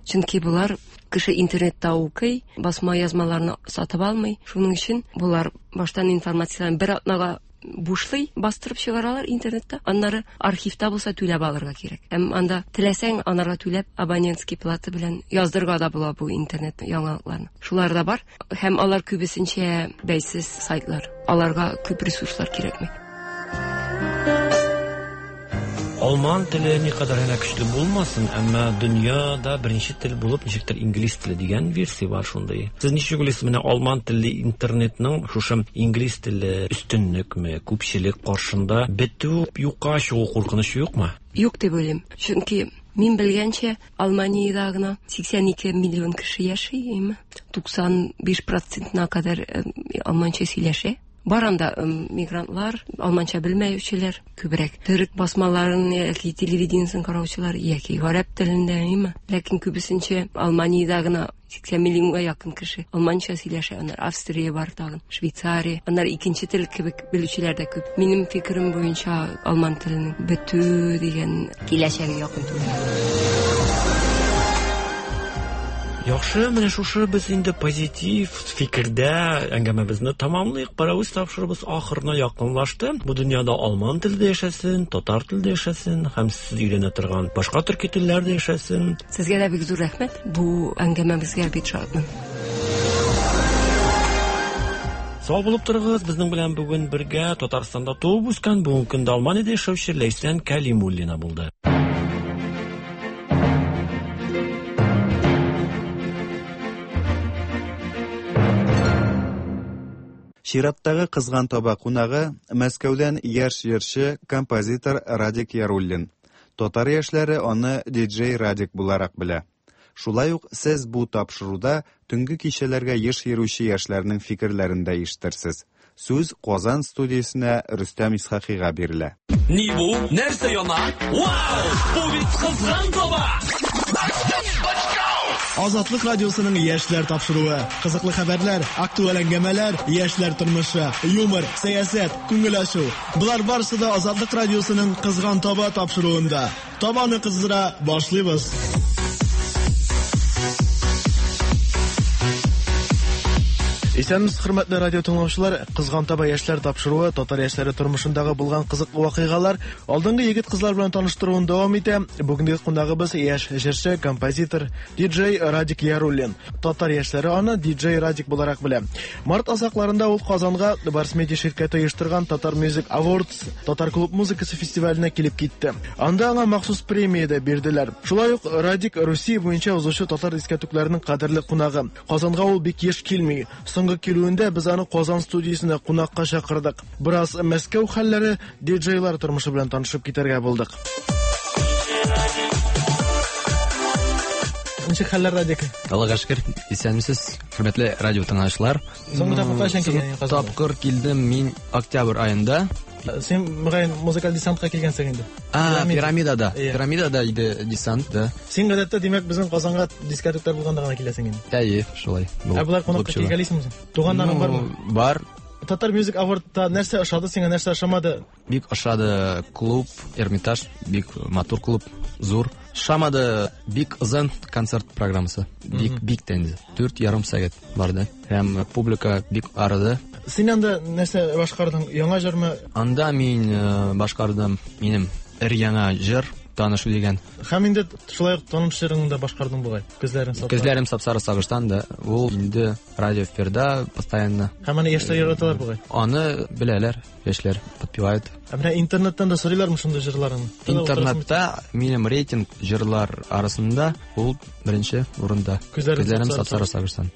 Чөнки булар кеше интернетта укый, басма язмаларны сатып алмый. Шуның өчен булар баштан информацияны бер атнага бушлый бастырып чыгаралар интернетта. Аннары архивта булса түләп алырга кирәк. Һәм анда теләсәң, анарга түләп абонентский плата белән яздырырга да була бу интернет яңалыкларны. Шулар да бар. Һәм алар күбесенчә бәйсез сайтлар. Аларга күп ресурслар кирәкми. Алман теле никадәр генә көчле булмасын, әмма дөньяда беренче тел булып ничектер инглиз теле дигән версия бар шундый. Сез ничек уйлыйсыз, менә алман телле интернетның шушы инглиз теле өстенлекме, күпчелек каршында бетү, юкка чыгу куркынычы юкмы? Юк дип уйлыйм. Чөнки мин белгәнчә, Алманиядә гына сиксән ике миллион кеше яши, әйме? туксан биш процентына кадәр алманча сөйләшә. Бар анда мигрантлар, алманча белмәүчеләр күбрәк. Төрек басмаларын яки телевидениесен караучылар яки гарәп телендә, әйме? Ләкин күбесенчә Алманиядә гына сиксән миллионга якын кеше алманча сөйләшә. Аннары Австрия бар тагын, Швейцария. Аннары икенче тел кебек белүчеләр дә күп. Минем фикерем буенча алман теленең бетү дигән киләчәге якын түгел. Яхшы, менә шушы без инде позитив фикердә әңгәмәбезне тамамлыйк. Паравыз тапшырыбыз ахырына якынлашты. Бу дөньяда алман телдә яшәсен, татар телдә яшәсен һәм сез өйрәнә торган башка төрки телләрдә яшәсен. Сезгә дә бик зур рәхмәт. Бу әңгәмәбезгә бик шатмын. Сау булып торыгыз. Безнең белән бүген бергә Татарстанда туып үскән, бүгенге көндә Алманиядә яшәүче Ләйсән Кәлимуллина булды. Чираттагы кызган таба кунагы Мәскәүдән яшь җырчы, композитор Радик Яруллин. Татар яшьләре аны диджей Радик буларак белә. Шулай ук сез бу тапшыруда төнге кичәләргә еш йөрүче яшьләрнең фикерләрен дә ишетерсез. Сүз Казан студиясенә Рөстәм Исхакыйга бирелә. Ни бу? Нәрсә яна? Вау! Бу бит кызган таба! Азатлык радиосының яшьләр тапшыруы. Кызыклы хәбәрләр, актуаль әңгәмәләр, яшьләр тормышы, юмор, сәясәт, күңел ачу. Болар барысы да Азатлык радиосының Кызган таба тапшыруында. Табаны кыздыра башлыйбыз. Исәнмесез, хөрмәтле радио тыңлаучылар. Кызган таба яшьләр тапшыруы татар яшьләре тормышындагы булган кызыклы вакыйгалар, алдынгы егет-кызлар белән таныштыруын дәвам итә. Бүгенге кунагыбыз яшь җырчы, композитор, диджей Радик Яруллин. Татар яшьләре аны диджей Радик буларак белә. Март азакларында ул Казанга Барс Медиа ширкәте оештырган Татар Music Awards татар клуб музыкасы фестиваленә килеп китте. Анда аңа махсус премия дә бирделәр. Шулай ук Радик Русия буенча узучы татар дискәтүкләренең кадерле кунагы. Казанга ул бик еш килми. Соңгы килүендә без аны Казан студиясенә кунакка чакырдык. Бераз Мәскәү хәлләре, диджейлар тормышы белән танышып китәргә булдык. Ничек хәлләр, Радик? Аллага шөкер, исәнмесез, хөрмәтле радио тыңлаучылар. Соңгы тапкыр кайчан килгән Казанга? Тапкыр килдем мин октябрь аенда. Син мөгаен музыкаль десантка килгәнсең инде. А, пирамидада. Пирамидада иде десант, да. Син гадәттә, димәк, безнең Казанга дискотекалар булганда гына киләсең инде. Әйе, шулай. Ә болар кунакка килгәлисеңме? Туганнарың бармы? Бар. Татар Music Award'та нәрсә ошады сиңа, нәрсә ошамады? Бик ошады клуб, Эрмитаж, бик матур клуб, зур. Ошамады бик озын концерт программасы. Бик бик тә инде. Дүрт ярым сәгать барды. Һәм публика бик арыды. Син анда нәрсә башкардың? Яңа җырмы? Анда мин башкардым минем эр яңа җыр, танышу дигән. Һәм инде шулай ук таныш җырыңны да башкардың бугай. Күзләрем сапсары. Күзләрем сапсары сагыштан да. Ул инде радио эфирда постоянно. Һәм аны яшьләр яраталар бугай. Аны беләләр, яшьләр подпевают. Ә менә интернеттан да сорыйлармы шундый җырларыңны? Интернетта минем рейтинг җырлар арасында ул беренче урында. Күзләрем сапсары сагыштан.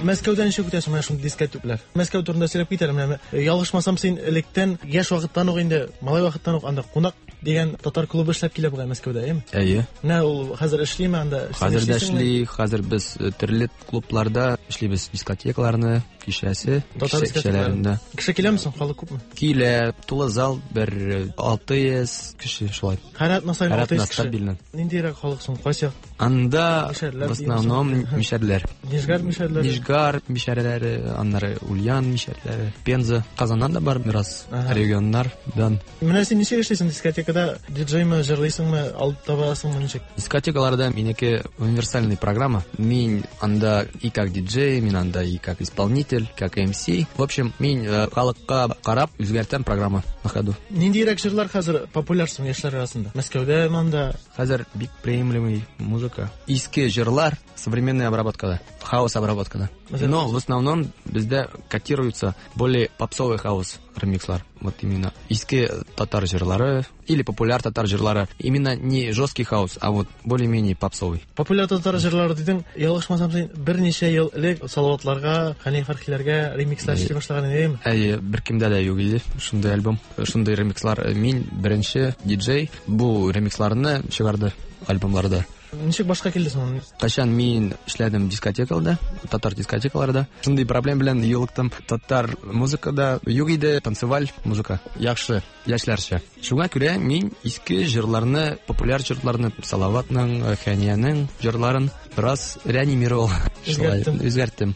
Мәскәүдән ничек үтәсең менә шундый дискотеклар? Мәскәү турында сөйләп китәлем менә. Ялгышмасам, син электән яшь вакыттан ук инде, малай вакыттан ук анда кунак дигән татар клубы эшләп килә бугай Мәскәүдә, әйеме? Әйе. Менә ул хәзер эшлиме анда? Хәзер дә эшли, хәзер без төрле клубларда эшлибез, дискотекаларны, кичәсе, кичәләрендә. Кеше киләме соң, халык күпме? Килә, тулы зал бер алты йөз кеше шулай. Һәр атна саен алты йөз кеше. Ниндирәк халык соң, кайсы як? Анда в основном мишәрләр. Нижгар мишәрләре. Нижгар мишәрләре, аннары Ульян мишәрләре, Пенза, Казаннан да бар бераз регионнардан. Менә син ничек эшлисең дискотекада? Диджеймы, җырлыйсыңмы, алып табасыңмы, ничек? Дискотекаларда минеке универсальный программа. Мин анда и как диджей, мин анда и как исполнитель, как эм си. В общем, мин халыкка карап үзгәртәм программа на ходу. Ниндирәк җырлар хәзер популяр соң яшьләр арасында? Мәскәүдә монда хәзер бик приемлемый музыка. Иске җырлар современная обработкада, хаус обработкада. Но в основном бездә котируются более попсовый хаус ремикслар. Вот именно иске татар җырлары или популяр татар җырлары. Именно не жесткий хаус, а вот более-менее попсовый. Популяр татар җырлары дидең, ялгышмасам, син берничә ел элек Салаватларга, Хәния Фәрхиләргә ремикслар эшли башлаган идең. Әйе, беркемдә дә юк иде шундый альбом, шундый ремикслар. Мин беренче диджей бу ремиксларны чыгарды альбомларда. Ничек башка килде соң? Кайчан мин эшләдем дискотекаларда, татар дискотекаларда. Шундый проблем белән юлыктым. Татар музыкада юк иде, танцеваль музыка. Яхшы, яшьләрчә. Шуңа күрә мин иске җырларны, популяр җырларны, Салаватның, Хәниянең җырларын бераз реанимировал. Үзгәрттем. Үзгәрттем.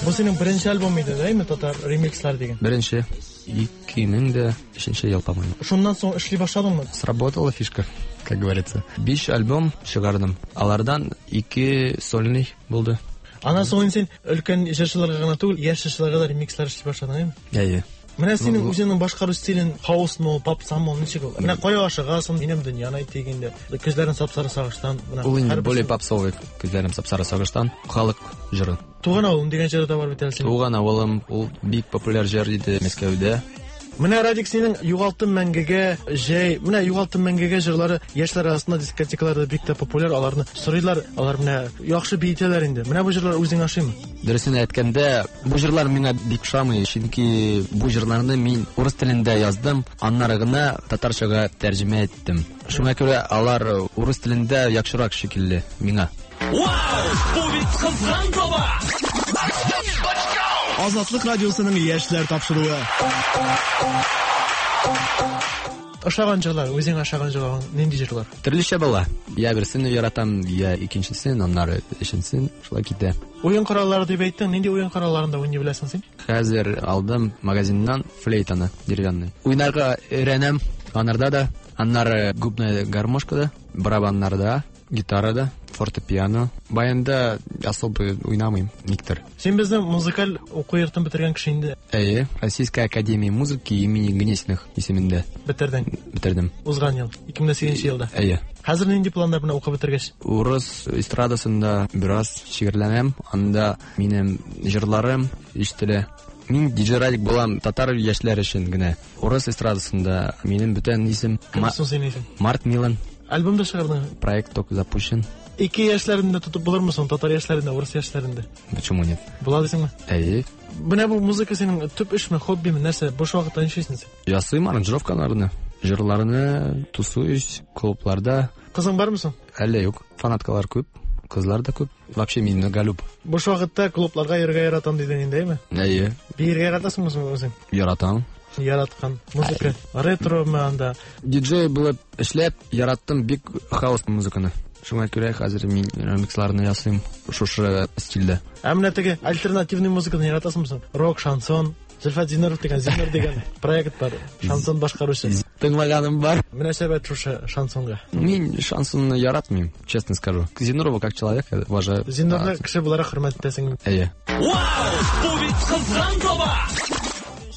Бу синең беренче альбом иде, әйме, татар ремикслар дигән? Беренче. ике мең дә өченче ел, по-моему. Шуннан соң эшли башладыңмы? Сработала фишка, как говорится. Биш альбом чыгардым. Алардан ике сольный булды. Аннан соң син өлкән җырчыларга гына түгел, яшь җырчыларга да ремикслар эшли башладың, әйме? Әйе. Менә синең үзеңнең башкару стилен хаусмы, попсамы, ничек ул? Менә кая ашыгасың, минем дөньяны әйт дигәндә, күзләрем сапсары сагыштан. Ул инде более попсовый, күзләрем сапсары сагыштан, халык җыры. Туган авылым дигән җыры да бар бит әле синең. Туган авылым, ул бик популяр җыр иде Мәскәүдә. Менә Радик, синең югалттым мәңгегә, җәй, менә югалттым мәңгегә җырлары яшьләр арасында дискотекаларда бик тә популяр, аларны сорыйлар, алар менә яхшы биетәләр инде. Менә бу җырлар үзең ошыймы? Дөресен әйткәндә, бу җырлар миңа бик ошамый, чөнки бу җырларны мин урыс телендә яздым, аннары гына татарчага тәрҗемә иттем. Шуңа күрә алар урыс телендә яхшырак шикелле миңа. Вау! Бу бит кызган таба! Азатлык радиосының яшьләр тапшыруы. Ошаган җырлар, үзең ошаган җырлар, нинди җырлар? Төрлечә була. Я берсен яратам, я икенчесен, аннары өченчесен, шулай китә. Уен кораллары дип әйттең, нинди уен коралларында уйный беләсең син? Хәзер алдым магазиннан флейтаны, деревянный. Уйнарга өйрәнәм, анарда да, аннары губная гармошкада, барабаннарда, гитарада, фортепиано. Баянда особо уйнамыйм, никтер. Син безнең музыкаль уку йортын бетергән кеше инде. Әйе, Российская академия музыки имени Гнесиных исемендә. Бетердең? Бетердем. Узган ел, ике мең сигезенче елда. Әйе. Хәзер нинди планнар белән укып бетергәч? Урыс эстрадасында бераз шигырьләнәм, анда минем җырларым ишетелә. Мин диджей Радик булам татар яшьләр өчен генә. Урыс эстрадасында минем бүтән исем Март Милан. Альбом да чыгардың. Проект только запущен. Ике яшьләрендә тотып булырмы соң, татар яшьләрендә, урыс яшьләрендә? Почему нет? Була дисеңме? Әйе. Менә бу музыка синең төп эшме, хоббиме, нәрсә? Буш вакытта нишлисең син? Ясыйм аранжировкаларны, җырларны, тусуюсь клубларда. Кызың бармы соң? Әллә юк. Фанаткалар күп, кызлар да күп. Вообще мин многолюб. Буш вакытта клубларга йөрергә яратам дидең инде, әйме? Әйе. Биергә яратасыңмы соң үзең? Яратам. Яраткан музыка ретро-мы анда? Диджей булып эшләп яраттым бик хаус музыканы. Шуңа күрә хәзер мин ремиксларны ясыйм шушы стильдә. Ә менә теге альтернативный музыканы яратасыңмы соң? Рок, шансон, Зөлфәт Зиннуров дигән, Зиннур дигән проект бар. Шансон башкаручы. Тыңлаганым бар. Мөнәсәбәт шушы шансонга. Мин шансонны яратмыйм, честно скажу. Зиннурова как человека уважаю. Зиннурны кеше буларак хөрмәт итәсең. Әйе. Вау! Бу бит кызган таба!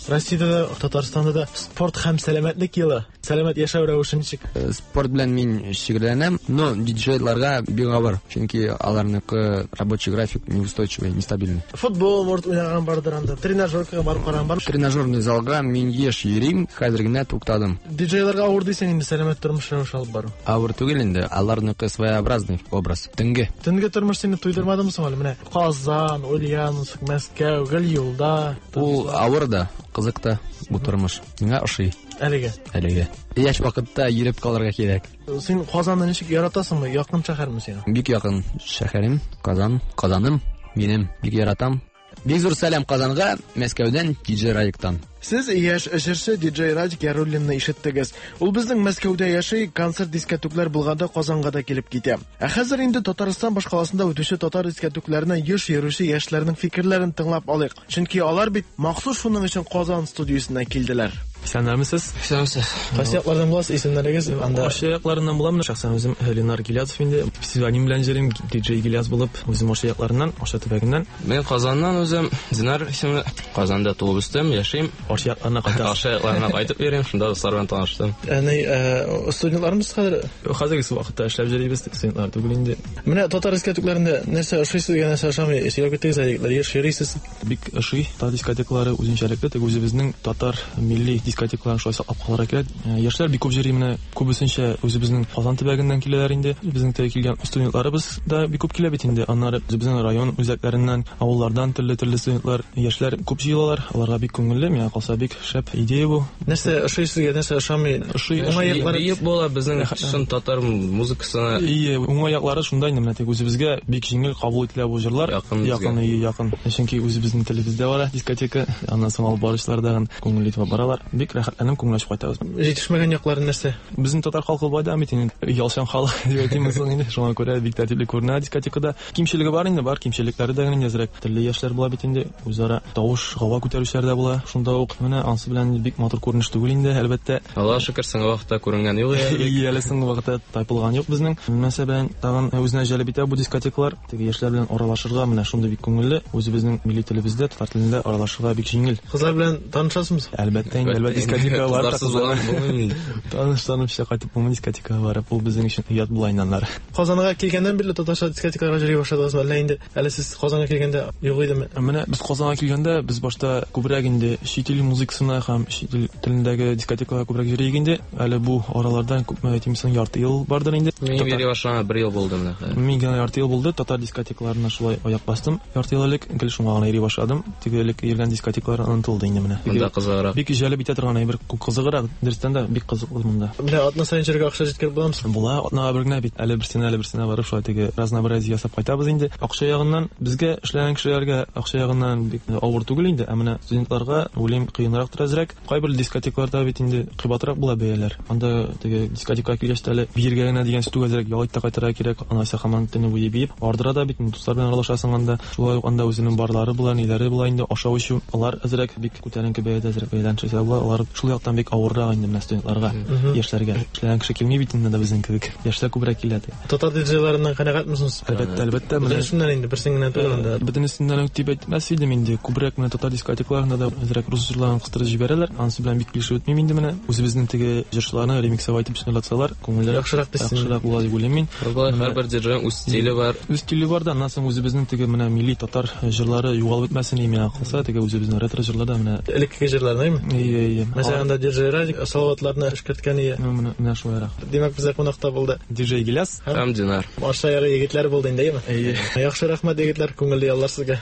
Россиядә дә, Татарстанда да спорт һәм сәламәтлек елы. Сәламәт яшәү рәвеше ничек? Спорт белән мин шөгыльләнәм, но диджейларга бик авыр, чөнки аларныкы рабочий график неустойчивый, нестабильный. Футбол может уйнаган бардыр анда, тренажеркага барып караган бар. Тренажерный залга мин еш йөрим, хәзер генә туктадым. Диджейларга авыр дисең инде сәламәт тормыш рәвеше алып бару. Авыр түгел инде, аларныкы своеобразный образ. Төнге. Төнге тормыш сине туйдырмадымы соң әле? Менә Казан, Ульяновск, Мәскәү, гел юлда. Ул авыр да, кызык та бу тормыш. Миңа ошый. Әлегә. Әлегә. Яшь вакытта йөреп калырга кирәк. Син Казанны ничек яратасыңмы? Якын шәһәрме сиңа? Бик якын шәһәрем, Казан, Казаным, минем бик яратам. Бик зур сәлам Казанга, Мәскәүдән, диджей Радиктан. Сез яшь җырчы диджей Радик Яруллинны ишеттегез. Ул безнең Мәскәүдә яши, концерт дискотеклар булганда Казанга да килеп китә. Ә хәзер инде Татарстан башкаласында үтүче татар дискотекларына еш йөрүче яшьләрнең фикерләрен тыңлап алыйк. Чөнки алар бит махсус шуның өчен Казан студиясенә килделәр. Исәннәрмесез? Исәнмесез. Кайсы яклардан буласыз? Исемнәрегез анда? Ашы якларыннан булам. Шәхсән үзем Ленар Гилязов инде. Псевдоним белән йөрим, диджей Гиляз булып, үзем Ашы якларыннан, Ашы төбәгеннән. Мин Казаннан үзем, Динар исемле. Казанда туып үстем, яшим. Ашы якларына кайтам. Ашы якларына кайтып йөрим, шунда дуслар белән таныштым. Әни, студентлармыз хәзер? Хәзерге вакытта эшләп йөрибез, студентлар түгел инде. Менә татар дискотекларында нәрсә ошый сезгә, нәрсә ошамый? Сөйләп киттегез әле, егетләр, еш йөрисез. Бик ошый. Татар дискотеклары үзенчәлекле, тик үзебезнең татар милли дискотекларын шулай саклап калырга кирәк. Яшьләр бик күп йөри, менә күбесенчә үзебезнең Казан төбәгеннән киләләр инде. Безнең тә килгән студентларыбыз да бик күп килә бит инде. Аннары үзебезнең район үзәкләреннән, авыллардан төрле-төрле студентлар, яшьләр күп җыелалар. Аларга бик күңелле, миңа калса бик шәп идея бу. Нәрсә ошый сезгә, нәрсә ошамый? Ошый, уңай яклары биеп була безнең чын татар музыкасына. Ие, уңай яклары шунда инде, менә тик үзебезгә бик җиңел кабул ителә бу җырлар. Якын, якын. Чөнки үзебезнең телебездә бар дискотека, аннан соң алып баручылар да күңелле итеп баралар. Бик рәхәтләнеп күңел ачып кайтабыз. Җитешмәгән яклары нәрсә? Безнең татар халкы бай да бит инде, ялчан халык дип әйтим соң инде. Шуңа күрә бик тәртипле күренә дискотекада. Кимчелеге бар инде, бар кимчелекләре дә инде әзрәк. Төрле яшьләр була бит инде, үзара тавыш, гава күтәрүчеләр дә була. Шунда ук менә ансы белән бик матур күренеш түгел инде, әлбәттә. Аллаһ шөкер, соңгы вакытта күренгән юк. Ие, әле соңгы вакытта тайпылган юк безнең. Мәсәлән, тагын үзенә җәлеп итә бу дискотекалар. Теге яшьләр белән аралашырга менә шундый бик күңелле. Үзебезнең милли телебездә, татар телендә аралашырга бик җиңел. Кызлар белән танышасызмы? Әлбәттә инде, әлбәттә дискотекага барып таныш-танышча кайтып булмый дискотекага барып, ул безнең өчен оят була инде аннары. Казанга килгәннән бирле татарча дискотекаларга йөри башладыгызмы, әллә инде әле сез Казанга килгәндә юк идеме? Менә без Казанга килгәндә без башта күбрәк инде чит ил музыкасына һәм чит ил телендәге дискотекаларга күбрәк йөри идек инде. Әле бу аралардан күпме әйтим соң, ярты ел бардыр инде. Мин йөри башлаганга бер ел булды менә хәзер. Мин генә ярты ел булды, татар дискотекаларына шулай аяк бастым. Ярты ел элек гел шуңа гына йөри башладым. Теге элек йөргән дискотекалар онытылды инде менә. Монда кызыграк. Бик җәлеп итә торган әйбер, кызыграк, дөрестән дә бик кызыклы монда. Менә атна саен йөрергә акча җиткереп буламы? Була, атнага бер генә бит. Әле берсенә, әле берсенә барып шулай теге разнообразие ясап кайтабыз инде. Акча ягыннан безгә эшләгән кешеләргә акча ягыннан бик авыр түгел инде, ә менә студентларга уйлыйм кыенрактыр әзрәк. Кайбер дискотекларда бит инде кыйбатрак була бәяләр. Анда теге дискотекага килгәч тә әле биергә генә дигән сүз әзрәк ял итә кайтырга кирәк. Анасы һаман төне буе биеп, ардыра да бит, дуслар белән аралашасың анда. Шулай ук анда үзенең барлары була, ниләре була инде, ашау эчү. Алар әзрәк бик күтәренке бәядә әзрәк бәядән чыгса була. Алар шул яктан бик авыррак инде менә студентларга, яшьләргә. Эшләгән кеше килми бит инде безнең кебек. Яшьләр күбрәк килә. Татар диджейларыннан канәгатьмесез? Әлбәттә, әлбәттә. Бөтенесеннән инде, берсен генә түгел анда. Бөтенесеннән үк дип әйтмәс идем инде. Күбрәк менә татар дискотекларында да әзрәк рус җырларын кыстырып җибәрәләр. Анысы белән бик килешеп бетмим инде менә. Үзебезнең теге җырчыларны ремиксовать итеп җырлатсалар, күңелләр яхшырак бетсен. Яхшырак була дип уйлыйм мин. Һәрбер җырның үз стиле бар. Үз стиле бар да, аннан соң үзебезнең теге менә милли татар җырлары югалып бетмәсен миңа калса, теге үзебезнең ретро җырларда менә элеккеге җырларны, әйме? Әйе, әйе. Мәсәлән, анда Диджей Радик Салаватларны эшкәрткән ие. Менә менә шулайрак. Димәк, бездә кунакта булды Диджей Гиляс һәм Динар. Аша яры егетләр булды инде, әйеме? Әйе. Яхшы, рәхмәт, егетләр, күңелле яллар сезгә.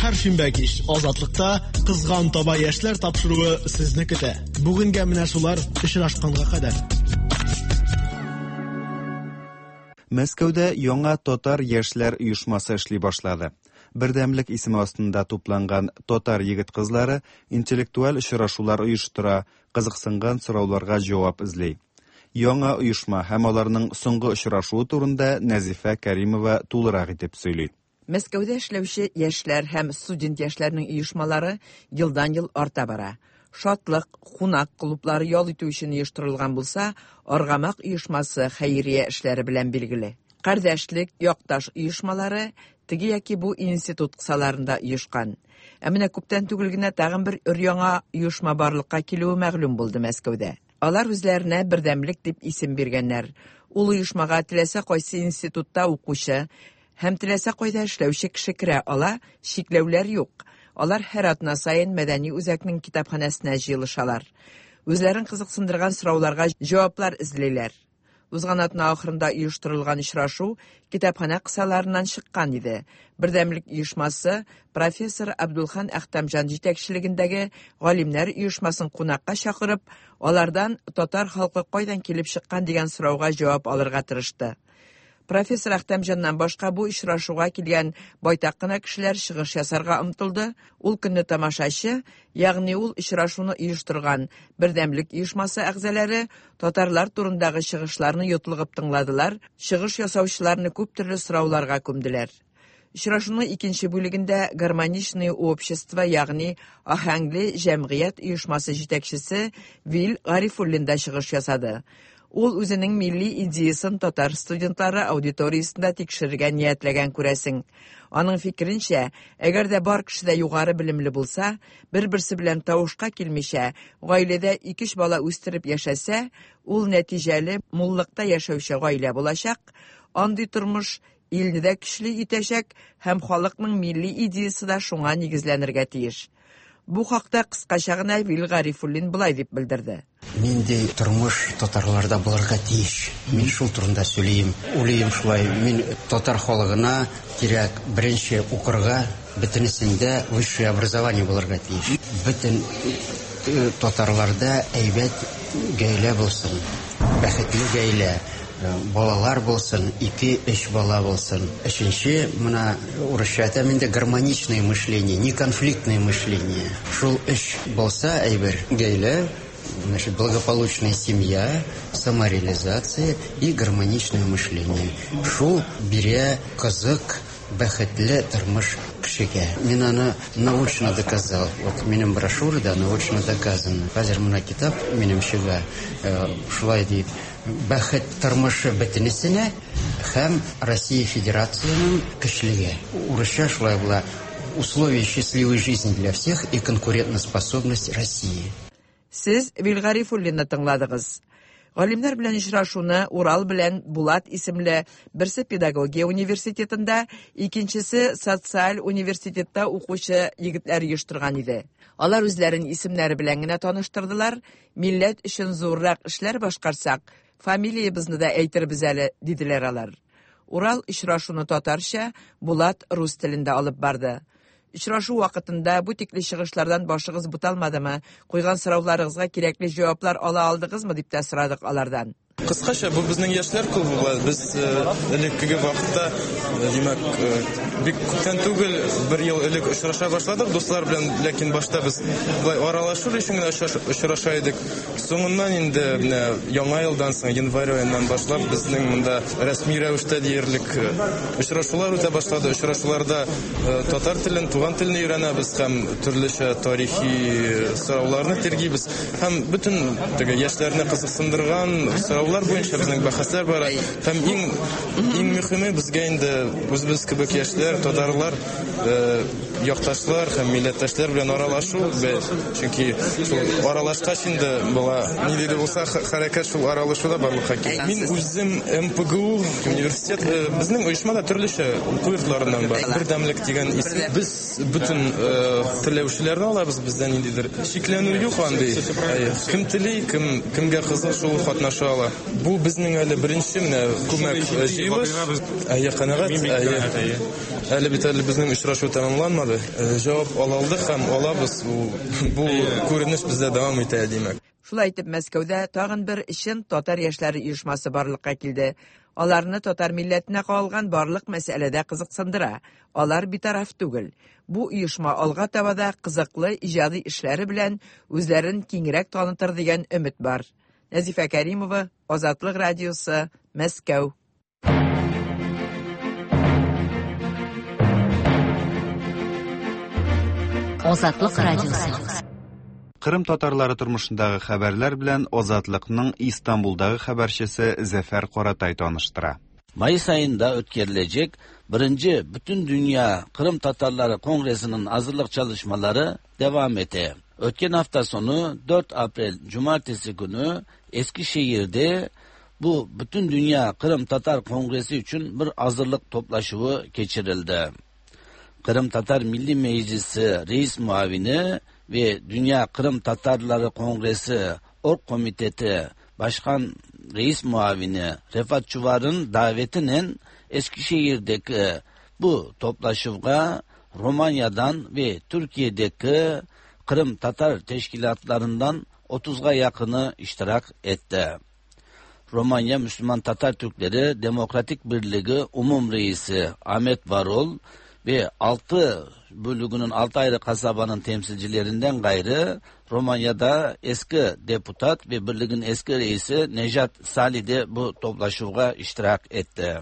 Һәр шимбә кич Азатлыкта Кызган таба яшьләр тапшыруы сезне көтә. Бүгенгә менә шулар, очрашканга кадәр. Мәскәүдә яңа татар яшьләр оешмасы эшли башлады. Бердәмлек исеме астында тупланган татар егет-кызлары интеллектуаль очрашулар оештыра, кызыксынган сорауларга җавап эзли. Яңа оешма һәм аларның соңгы очрашуы турында Нәзифә Кәримова тулырак итеп сөйли. Мәскәүдә эшләүче яшьләр һәм студент яшьләрнең оешмалары елдан-ел арта бара. Шатлык, кунак клублары ял итү өчен оештырылган булса, Аргамак оешмасы хәйрия эшләре белән билгеле. Кардәшлек, якташ оешмалары теге яки бу институт кысаларында оешкан. Ә менә күптән түгел генә тагын бер өр-яңа оешма барлыкка килүе мәгълүм булды Мәскәүдә. Алар үзләренә Бердәмлек дип исем биргәннәр. Ул оешмага теләсә кайсы институтта укучы һәм теләсә кайда эшләүче кеше керә ала, чикләүләр юк. Алар һәр атна саен мәдәни үзәкнең китапханәсенә җыелышалар. Үзләрен кызыксындырган сорауларга җаваплар эзлиләр. Узган атна ахырында оештырылган очрашу китапханә кысаларыннан чыккан иде. Бердәмлек оешмасы профессор Абдулхан Әхтәмҗан җитәкчелегендәге галимнәр оешмасын кунакка чакырып, алардан татар халкы кайдан килеп чыккан дигән сорауга җавап алырга тырышты. Профессор Әхтәмҗаннан башка бу очрашуга килгән байтак кына кешеләр чыгыш ясарга омтылды. Ул көнне тамашачы, ягъни ул очрашуны оештырган Бердәмлек оешмасы әгъзалары татарлар турындагы чыгышларны йотлыгып тыңладылар, чыгыш ясаучыларны күп төрле сорауларга күмделәр. Очрашуның икенче бүлегендә Гармоничное общество, ягъни Аһәңле җәмгыять оешмасы җитәкчесе Вил Гарифуллин да чыгыш ясады. Ул үзенең милли идеясын татар студентлары аудиториясендә тикшерергә ниятләгән күрәсең. Аның фикеренчә, әгәр дә бар кеше дә югары белемле булса, бер-берсе белән тавышка килмичә, гаиләдә ике-өч бала үстереп яшәсә, ул нәтиҗәле муллыкта яшәүче гаилә булачак. Андый тормыш илне дә көчле итәчәк һәм халыкның милли идеясы да шуңа нигезләнергә тиеш. Бу хакта кыскача гына Вил Гарифуллин болай дип белдерде. Нинди тормыш татарларда булырга тиеш? Мин шул турында сөйлим. Уйлыйм шулай. Мин татар халыгына кирәк беренче укырга, бөтенесендә высшее образование булырга тиеш. Бөтен татарларда әйбәт гаилә булсын, бәхетле гаилә, балалар булсын, ике-өч бала булсын. Өченче, менә урысча әйтәм инде, гармоничное мышление, не конфликтное мышление. Шул өч булса әйбер, гаилә, значит, благополучная семья, самореализация и гармоничное мышление. Шул бирә кызык, бәхетле тормыш кешегә. Мин аны научно доказал. Вот минем брошюрада научно доказано. Хәзер менә китап минем чыга, шулай дип, бәхет тормышы бөтенесенә һәм Россия Федерацияның көчлеге. Урысча шулай була. Условия счастливой жизни для всех и конкурентоспособность России. Сез Вил Гарифуллинны тыңладыгыз. Галимнәр белән очрашуны Урал белән Булат исемле берсе педагогия университетында, икенчесе социаль университетта укучы егетләр оештырган иде. Алар үзләрен исемнәре белән генә таныштырдылар. Милләт өчен зуррак эшләр башкарсак, фамилиябезне дә әйтербез әле, диделәр алар. Урал очрашуны татарча, Булат рус телендә алып барды. Очрашу вакытында бу тикле чыгышлардан башыгыз буталмадымы? Куйган сорауларыгызга кирәкле җаваплар ала алдыгызмы дип тә сорадык алардан. Кыскача, бу безнең яшьләр клубы була. Без элеккеге вакытта, димәк, бик күптән түгел, бер ел элек очраша башладык дуслар белән, ләкин башта без болай аралашу өчен генә очраша идек. Соңыннан инде менә яңа елдан соң, январь аеннан башлап безнең монда рәсми рәвештә диярлек очрашулар үтә башлады. Очрашуларда татар телен, туган телне өйрәнәбез һәм төрлечә тарихи сорауларны тиргибез. Һәм бөтен теге яшьләрне кызыксындырган сораулар буенча безнең бәхәсләр бара. Һәм иң иң мөһиме безгә инде үзебез кебек яшьләр, татарлар, якташлар һәм милләттәшләр белән аралашу, чөнки шул аралашкач инде була нинди дә булса хәрәкәт шул аралашуда барлыкка килә. Мин үзем эм пэ гэ у университет, безнең оешмада төрлечә уку йортларыннан бар. Бердәмлек дигән исем. Без бөтен теләүчеләрне алабыз, бездә ниндидер шикләнү юк андый. Кем тели, кем кемгә кызык, шул катнаша ала. Бу безнең әле беренче менә күмәк җыелыш. Әйе, канәгать. Әйе. Әле бит әле безнең очрашу тәмамланмады. Җавап ала алдык һәм алабыз. Бу күренеш бездә дәвам итә, димәк. Шулай итеп, Мәскәүдә тагын бер чын татар яшьләре оешмасы барлыкка килде. Аларны татар милләтенә кагылган барлык мәсьәләдә кызыксындыра. Алар битараф түгел. Бу оешма алга таба да кызыклы иҗади эшләре белән үзләрен киңрәк танытыр дигән өмет бар. Нәзифә Кәримова, Азатлык радиосы, Мәскәү. Азатлык радиосы. Кырым татарлары тормышындагы хәбәрләр белән Азатлыкның Истанбулдагы хәбәрчесе Зәфәр Каратай таныштыра. Mayıs ayında ötkerilecek birinci Bütün Dünya Kırım Tatarları Kongresi'nin hazırlık çalışmaları devam ete. Ötken hafta sonu dört April Cumartesi günü Eskişehir'de bu Bütün Dünya Kırım Tatar Kongresi için bir hazırlık toplaşığı geçirildi. Kırım Tatar Milli Meclisi Reis Muavini ve Dünya Kırım Tatarları Kongresi Org Komiteti Başkan Reis Muavini Refat Çuvar'ın davetinin Eskişehir'deki bu toplaşığa Romanya'dan ve Türkiye'deki Kırım Tatar teşkilatlarından otuza yakını iştirak etti. Romanya Müslüman Tatar Türkleri Demokratik Birliği Umum Reisi Ahmet Varol ve altı bölüğünün altı ayrı kasabanın temsilcilerinden gayrı Romanya'da eski deputat ve birliğin eski reisi Nejat Sali de bu toplaşığa iştirak etti.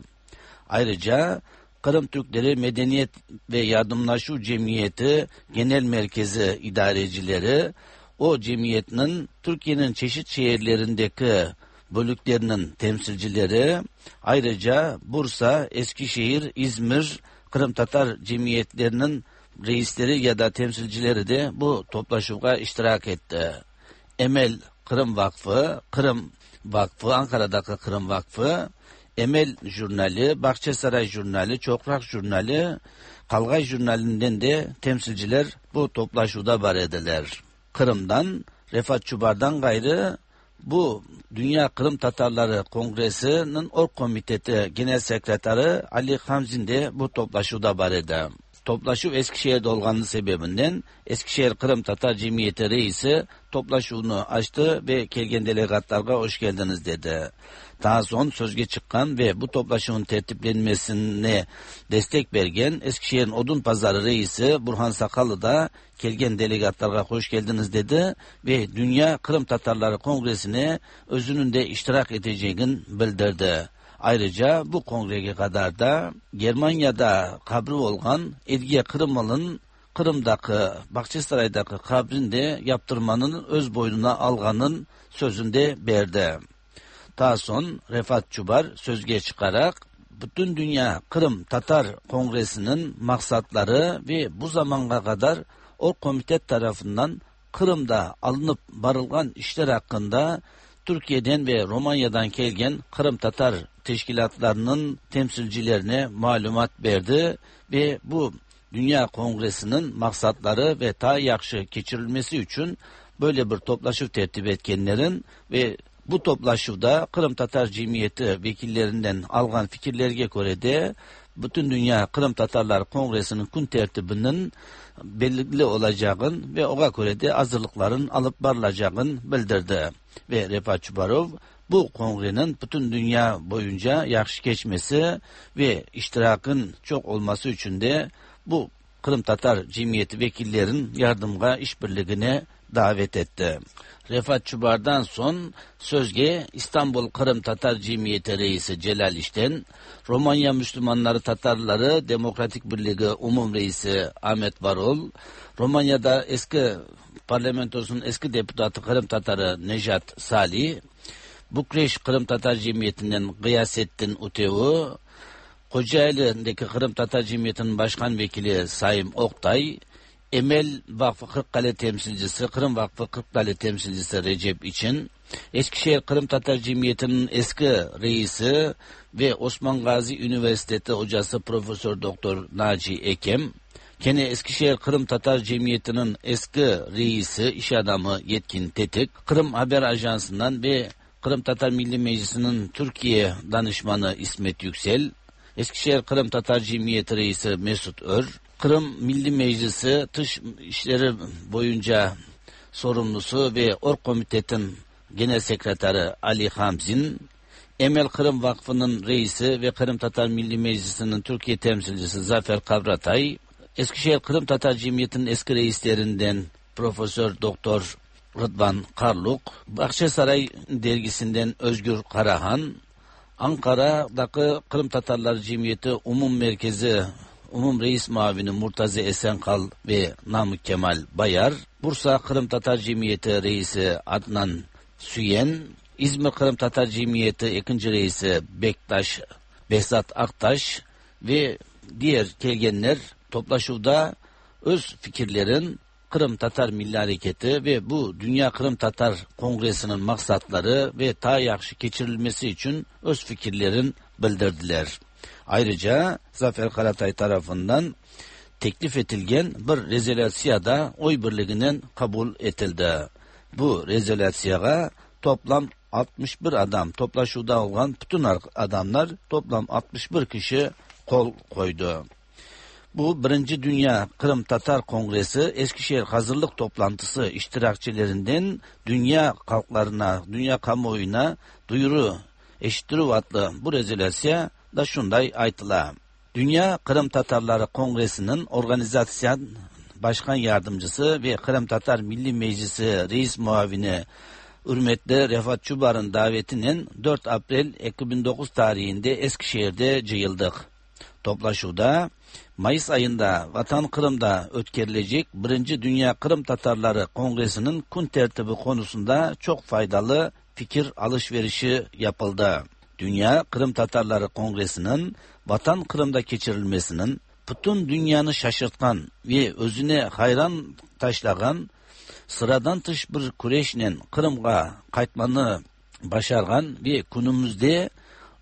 Ayrıca Kırım Türkleri Medeniyet ve Yardımlaşu Cemiyeti Genel Merkezi idarecileri o cemiyetinin Türkiye'nin çeşit şehirlerindeki bölüklerinin temsilcileri, ayrıca Bursa, Eskişehir, İzmir, Kırım Tatar cemiyetlerinin reisleri ya da temsilcileri de bu toplaşığa iştirak etti. Emel Kırım Vakfı, Kırım Vakfı, Ankara'daki Kırım Vakfı, Emel Jurnali, Bahçesaray Jurnali, Çokrak Jurnali, Kalgay Jurnali'nden de temsilciler bu toplaşıda var ediler. Kırım'dan, Refat Çubar'dan gayrı bu Dünya Kırım Tatarları Kongresi'nin Org Komiteti Genel Sekreteri Ali Hamzin de bu toplaşıda var idi. Toplaşuv Eskişehir'de olganı sebebinden Eskişehir Kırım Tatar Cemiyeti reisi toplaşuvunu açtı ve kelgen delegatlarga hoş geldiniz dedi. Daha son sözge çıkan ve bu toplaşuvun tertiplenmesine destek bergen Eskişehir'in Odun Pazarı reisi Burhan Sakallı da kelgen delegatlarga hoş geldiniz dedi ve Dünya Kırım Tatarları Kongresi'ne özünün de iştirak edeceğini bildirdi. Ayrıca bu kongreye kadar da Germanya'da kabri olan Edge Kırımlı'nın Kırım'daki Bahçesaray'daki kabrini de yaptırmanın öz boynuna alganın sözünde verdi. Daha son Refat Çubar sözge çıkarak Bütün Dünya Kırım Tatar Kongresi'nin maksatları ve bu zamana kadar o komite tarafından Kırım'da alınıp barılgan işler hakkında Türkiye'den ve Romanya'dan kelgen Kırım Tatar teşkilatlarının temsilcilerine malumat verdi ve bu Dünya Kongresi'nin maksatları ve ta yaxşı geçirilmesi için böyle bir toplaşıv tertip etkenlerin ve bu toplaşıvda Kırım Tatar Cemiyeti vekillerinden algan fikirlerge göre de Bütün Dünya Kırım Tatarlar Kongresi'nin gün tertibinin belirli olacağını ve ona göre de hazırlıkların alıp varılacağını bildirdi. Ve Refat Çubarov Bu kongrenin bütün dünya boyunca yaxşı geçmesi ve iştirakın çok olması için de bu Kırım Tatar Cemiyeti vekillerin yardımga işbirliğine davet etti. Refat Çubar'dan son sözge İstanbul Kırım Tatar Cemiyeti Reisi Celal İşten, Romanya Müslümanları Tatarları Demokratik Birliği Umum Reisi Ahmet Varol, Romanya'da eski parlamentosunun eski deputatı Kırım Tatarı Nejat Salih, Bukreş Kırım Tatar Cemiyeti'nden Gıyasettin Utevu, Kocaeli'ndeki Kırım Tatar Cemiyeti'nin başkan vekili Saim Oktay, Emel Vakfı Kırıkkale temsilcisi, Kırım Vakfı Kırıkkale temsilcisi Recep İçin, Eskişehir Kırım Tatar Cemiyeti'nin eski reisi ve Osman Gazi Üniversitesi hocası Profesör Doktor Naci Ekem, gene Eskişehir Kırım Tatar Cemiyeti'nin eski reisi iş adamı Yetkin Tetik, Kırım Haber Ajansı'ndan ve Kırım Tatar Milli Meclisi'nin Türkiye danışmanı İsmet Yüksel, Eskişehir Kırım Tatar Cemiyeti Reisi Mesut Ör, Kırım Milli Meclisi Dış İşleri boyunca sorumlusu ve Org Komitet'in Genel Sekreteri Ali Hamzin, Emel Kırım Vakfı'nın reisi ve Kırım Tatar Milli Meclisi'nin Türkiye temsilcisi Zafer Kavratay, Eskişehir Kırım Tatar Cemiyeti'nin eski reislerinden Profesör Doktor Rıdvan Karluk, Bahçesaray dergisinden Özgür Karahan, Ankara'daki Kırım Tatarlar Cemiyeti Umum Merkezi Umum Reis Muavini Murtazi Esenkal ve Namık Kemal Bayar, Bursa Kırım Tatar Cemiyeti Reisi Adnan Süyen, İzmir Kırım Tatar Cemiyeti ikinci Reisi Bektaş Behzat Aktaş ve diğer kelgenler toplaşuvda öz fikirlerin Kırım Tatar Milli Hareketi ve bu Dünya Kırım Tatar Kongresi'nin maksatları ve ta yaxşı keçirilmesi için öz fikirlerin bildirdiler. Ayrıca Zafer Karatay tarafından teklif etilgen bir rezolüsiya da oy birliğinden kabul etildi. Bu rezolüsiyaga toplam altmış bir adam, toplaşuvda olan bütün adamlar toplam altmış bir kişi kol koydu. Bu Birinci Dünya Kırım Tatar Kongresi Eskişehir Hazırlık Toplantısı iştirakçilerinden dünya halklarına, dünya kamuoyuna duyuru eşittirüv adlı bu rezolüsiya da şunday aytıla. Dünya Kırım Tatarları Kongresi'nin organizasyon başkan yardımcısı ve Kırım Tatar Milli Meclisi Reis Muavini Hürmetli Refat Çubar'ın davetinin dört April iki bin dokuz tarihinde Eskişehir'de cıyıldık. Toplaşuvda Mayıs ayında Vatan Kırım'da ötkerilecek Birinci Dünya Kırım Tatarları Kongresi'nin kun tertibi konusunda çok faydalı fikir alışverişi yapıldı. Dünya Kırım Tatarları Kongresi'nin Vatan Kırım'da keçirilmesinin bütün dünyanı şaşırtkan ve özüne hayran taşlagan sıradan tış bir küreşle Kırım'a qaytmanı başargan ve günümüzde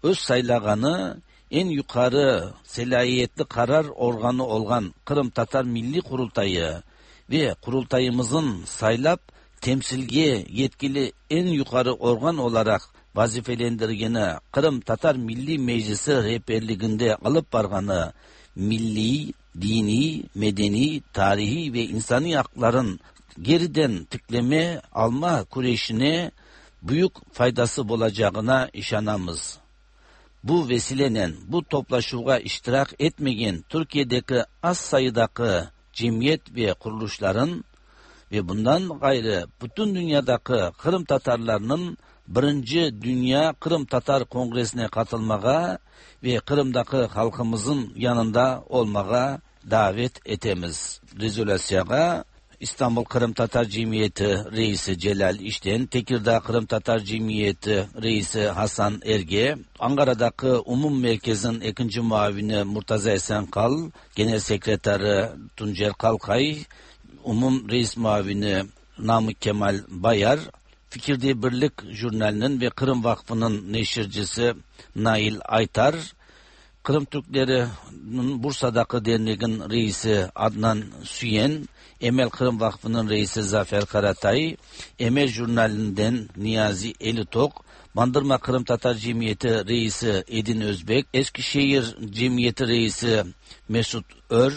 öz saylaganı en yukarı selahiyetli karar organı olan Kırım Tatar Milli Kurultayı ve kurultayımızın saylap temsilge yetkili en yukarı organ olarak vazifelendirgeni Kırım Tatar Milli Meclisi rehberliginde alıp barganı milli, dini, medeni, tarihi ve insani hakların geriden tıkleme alma kureşine büyük faydası olacağına işanamız. Bu vesileyle bu toplaşuğa iştirak etmeyen Türkiye'deki az sayıdaki cemiyet ve kuruluşların ve bundan gayrı bütün dünyadaki Kırım Tatarlarının Birinci Dünya Kırım Tatar Kongresi'ne katılmağa ve Kırım'daki halkımızın yanında olmağa davet etemiz. Rezolüsiyaga İstanbul Kırım Tatar Cemiyeti Reisi Celal İşten, Tekirdağ Kırım Tatar Cemiyeti Reisi Hasan Erge, Ankara'daki Umum Merkez'in ikinci muavini Murtaza Esenkal, Genel Sekreteri Tuncer Kalkay, Umum Reis Muavini Namık Kemal Bayar, Fikirde Birlik Jurnali'nin ve Kırım Vakfı'nın neşircisi Nail Aytar, Kırım Türkleri'nin Bursa'daki derneğin reisi Adnan Süyen, Emel Kırım Vakfı'nın reisi Zafer Karatay, Emel Jurnali'nden Niyazi Elitok, Bandırma Kırım Tatar Cemiyeti reisi Edin Özbek, Eskişehir Cemiyeti reisi Mesut Ör,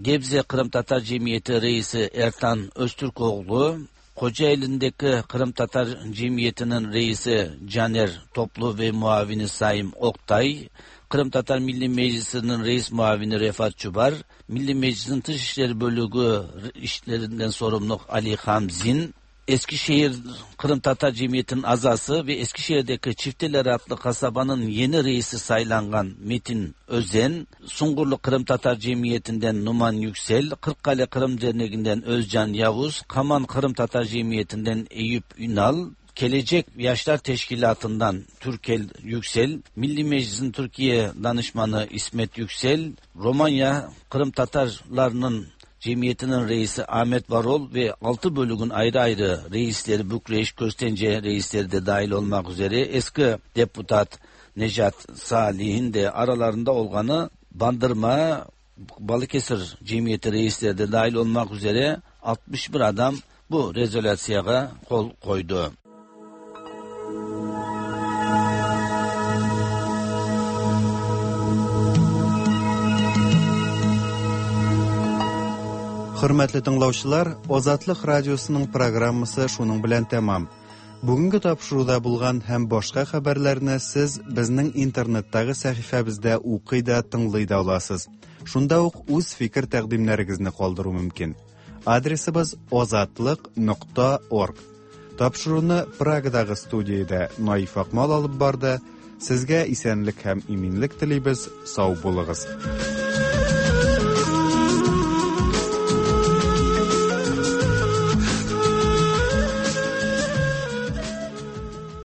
Gebze Kırım Tatar Cemiyeti reisi Ertan Öztürkoğlu, Kocaeli'ndeki Kırım Tatar Cemiyeti'nin reisi Caner Toplu ve muavini Saim Oktay, Kırım Tatar Milli Meclisi'nin reis muavini Refat Çubar, Milli Meclis'in Dışişleri Bölüğü işlerinden sorumlu Ali Hamzin, Eskişehir Kırım Tatar Cemiyeti'nin azası ve Eskişehir'deki Çifteler adlı kasabanın yeni reisi saylangan Metin Özen, Sungurlu Kırım Tatar Cemiyeti'nden Numan Yüksel, Kırıkkale Kırım Derneği'nden Özcan Yavuz, Kaman Kırım Tatar Cemiyeti'nden Eyüp Ünal, Gelecek Yaşlar Teşkilatı'ndan Türkel Yüksel, Milli Meclis'in Türkiye Danışmanı İsmet Yüksel, Romanya Kırım Tatarlarının Cemiyetinin reisi Ahmet Varol ve altı bölüğün ayrı ayrı reisleri Bükreş, Köstence reisleri de dahil olmak üzere eski deputat Nejat Salih'in de aralarında olganı Bandırma, Balıkesir Cemiyeti reisleri de dahil olmak üzere altmış bir adam bu rezolüsyaya kol koydu. Хөрмәтле тыңлаучылар, Азатлык радиосының программасы шуның белән тәмам. Бүгенге тапшыруда булган һәм башка хәбәрләрне сез безнең интернеттагы сәхифәбездә укый да, тыңлый да аласыз. Шунда ук үз фикер тәкъдимнәрегезне калдыру мөмкин. Адресыбыз азатлык нокта орг. Тапшыруны Прагадагы студиядә Наиф Акмал алып барды. Сезгә исәнлек һәм иминлек телибез. Сау булыгыз.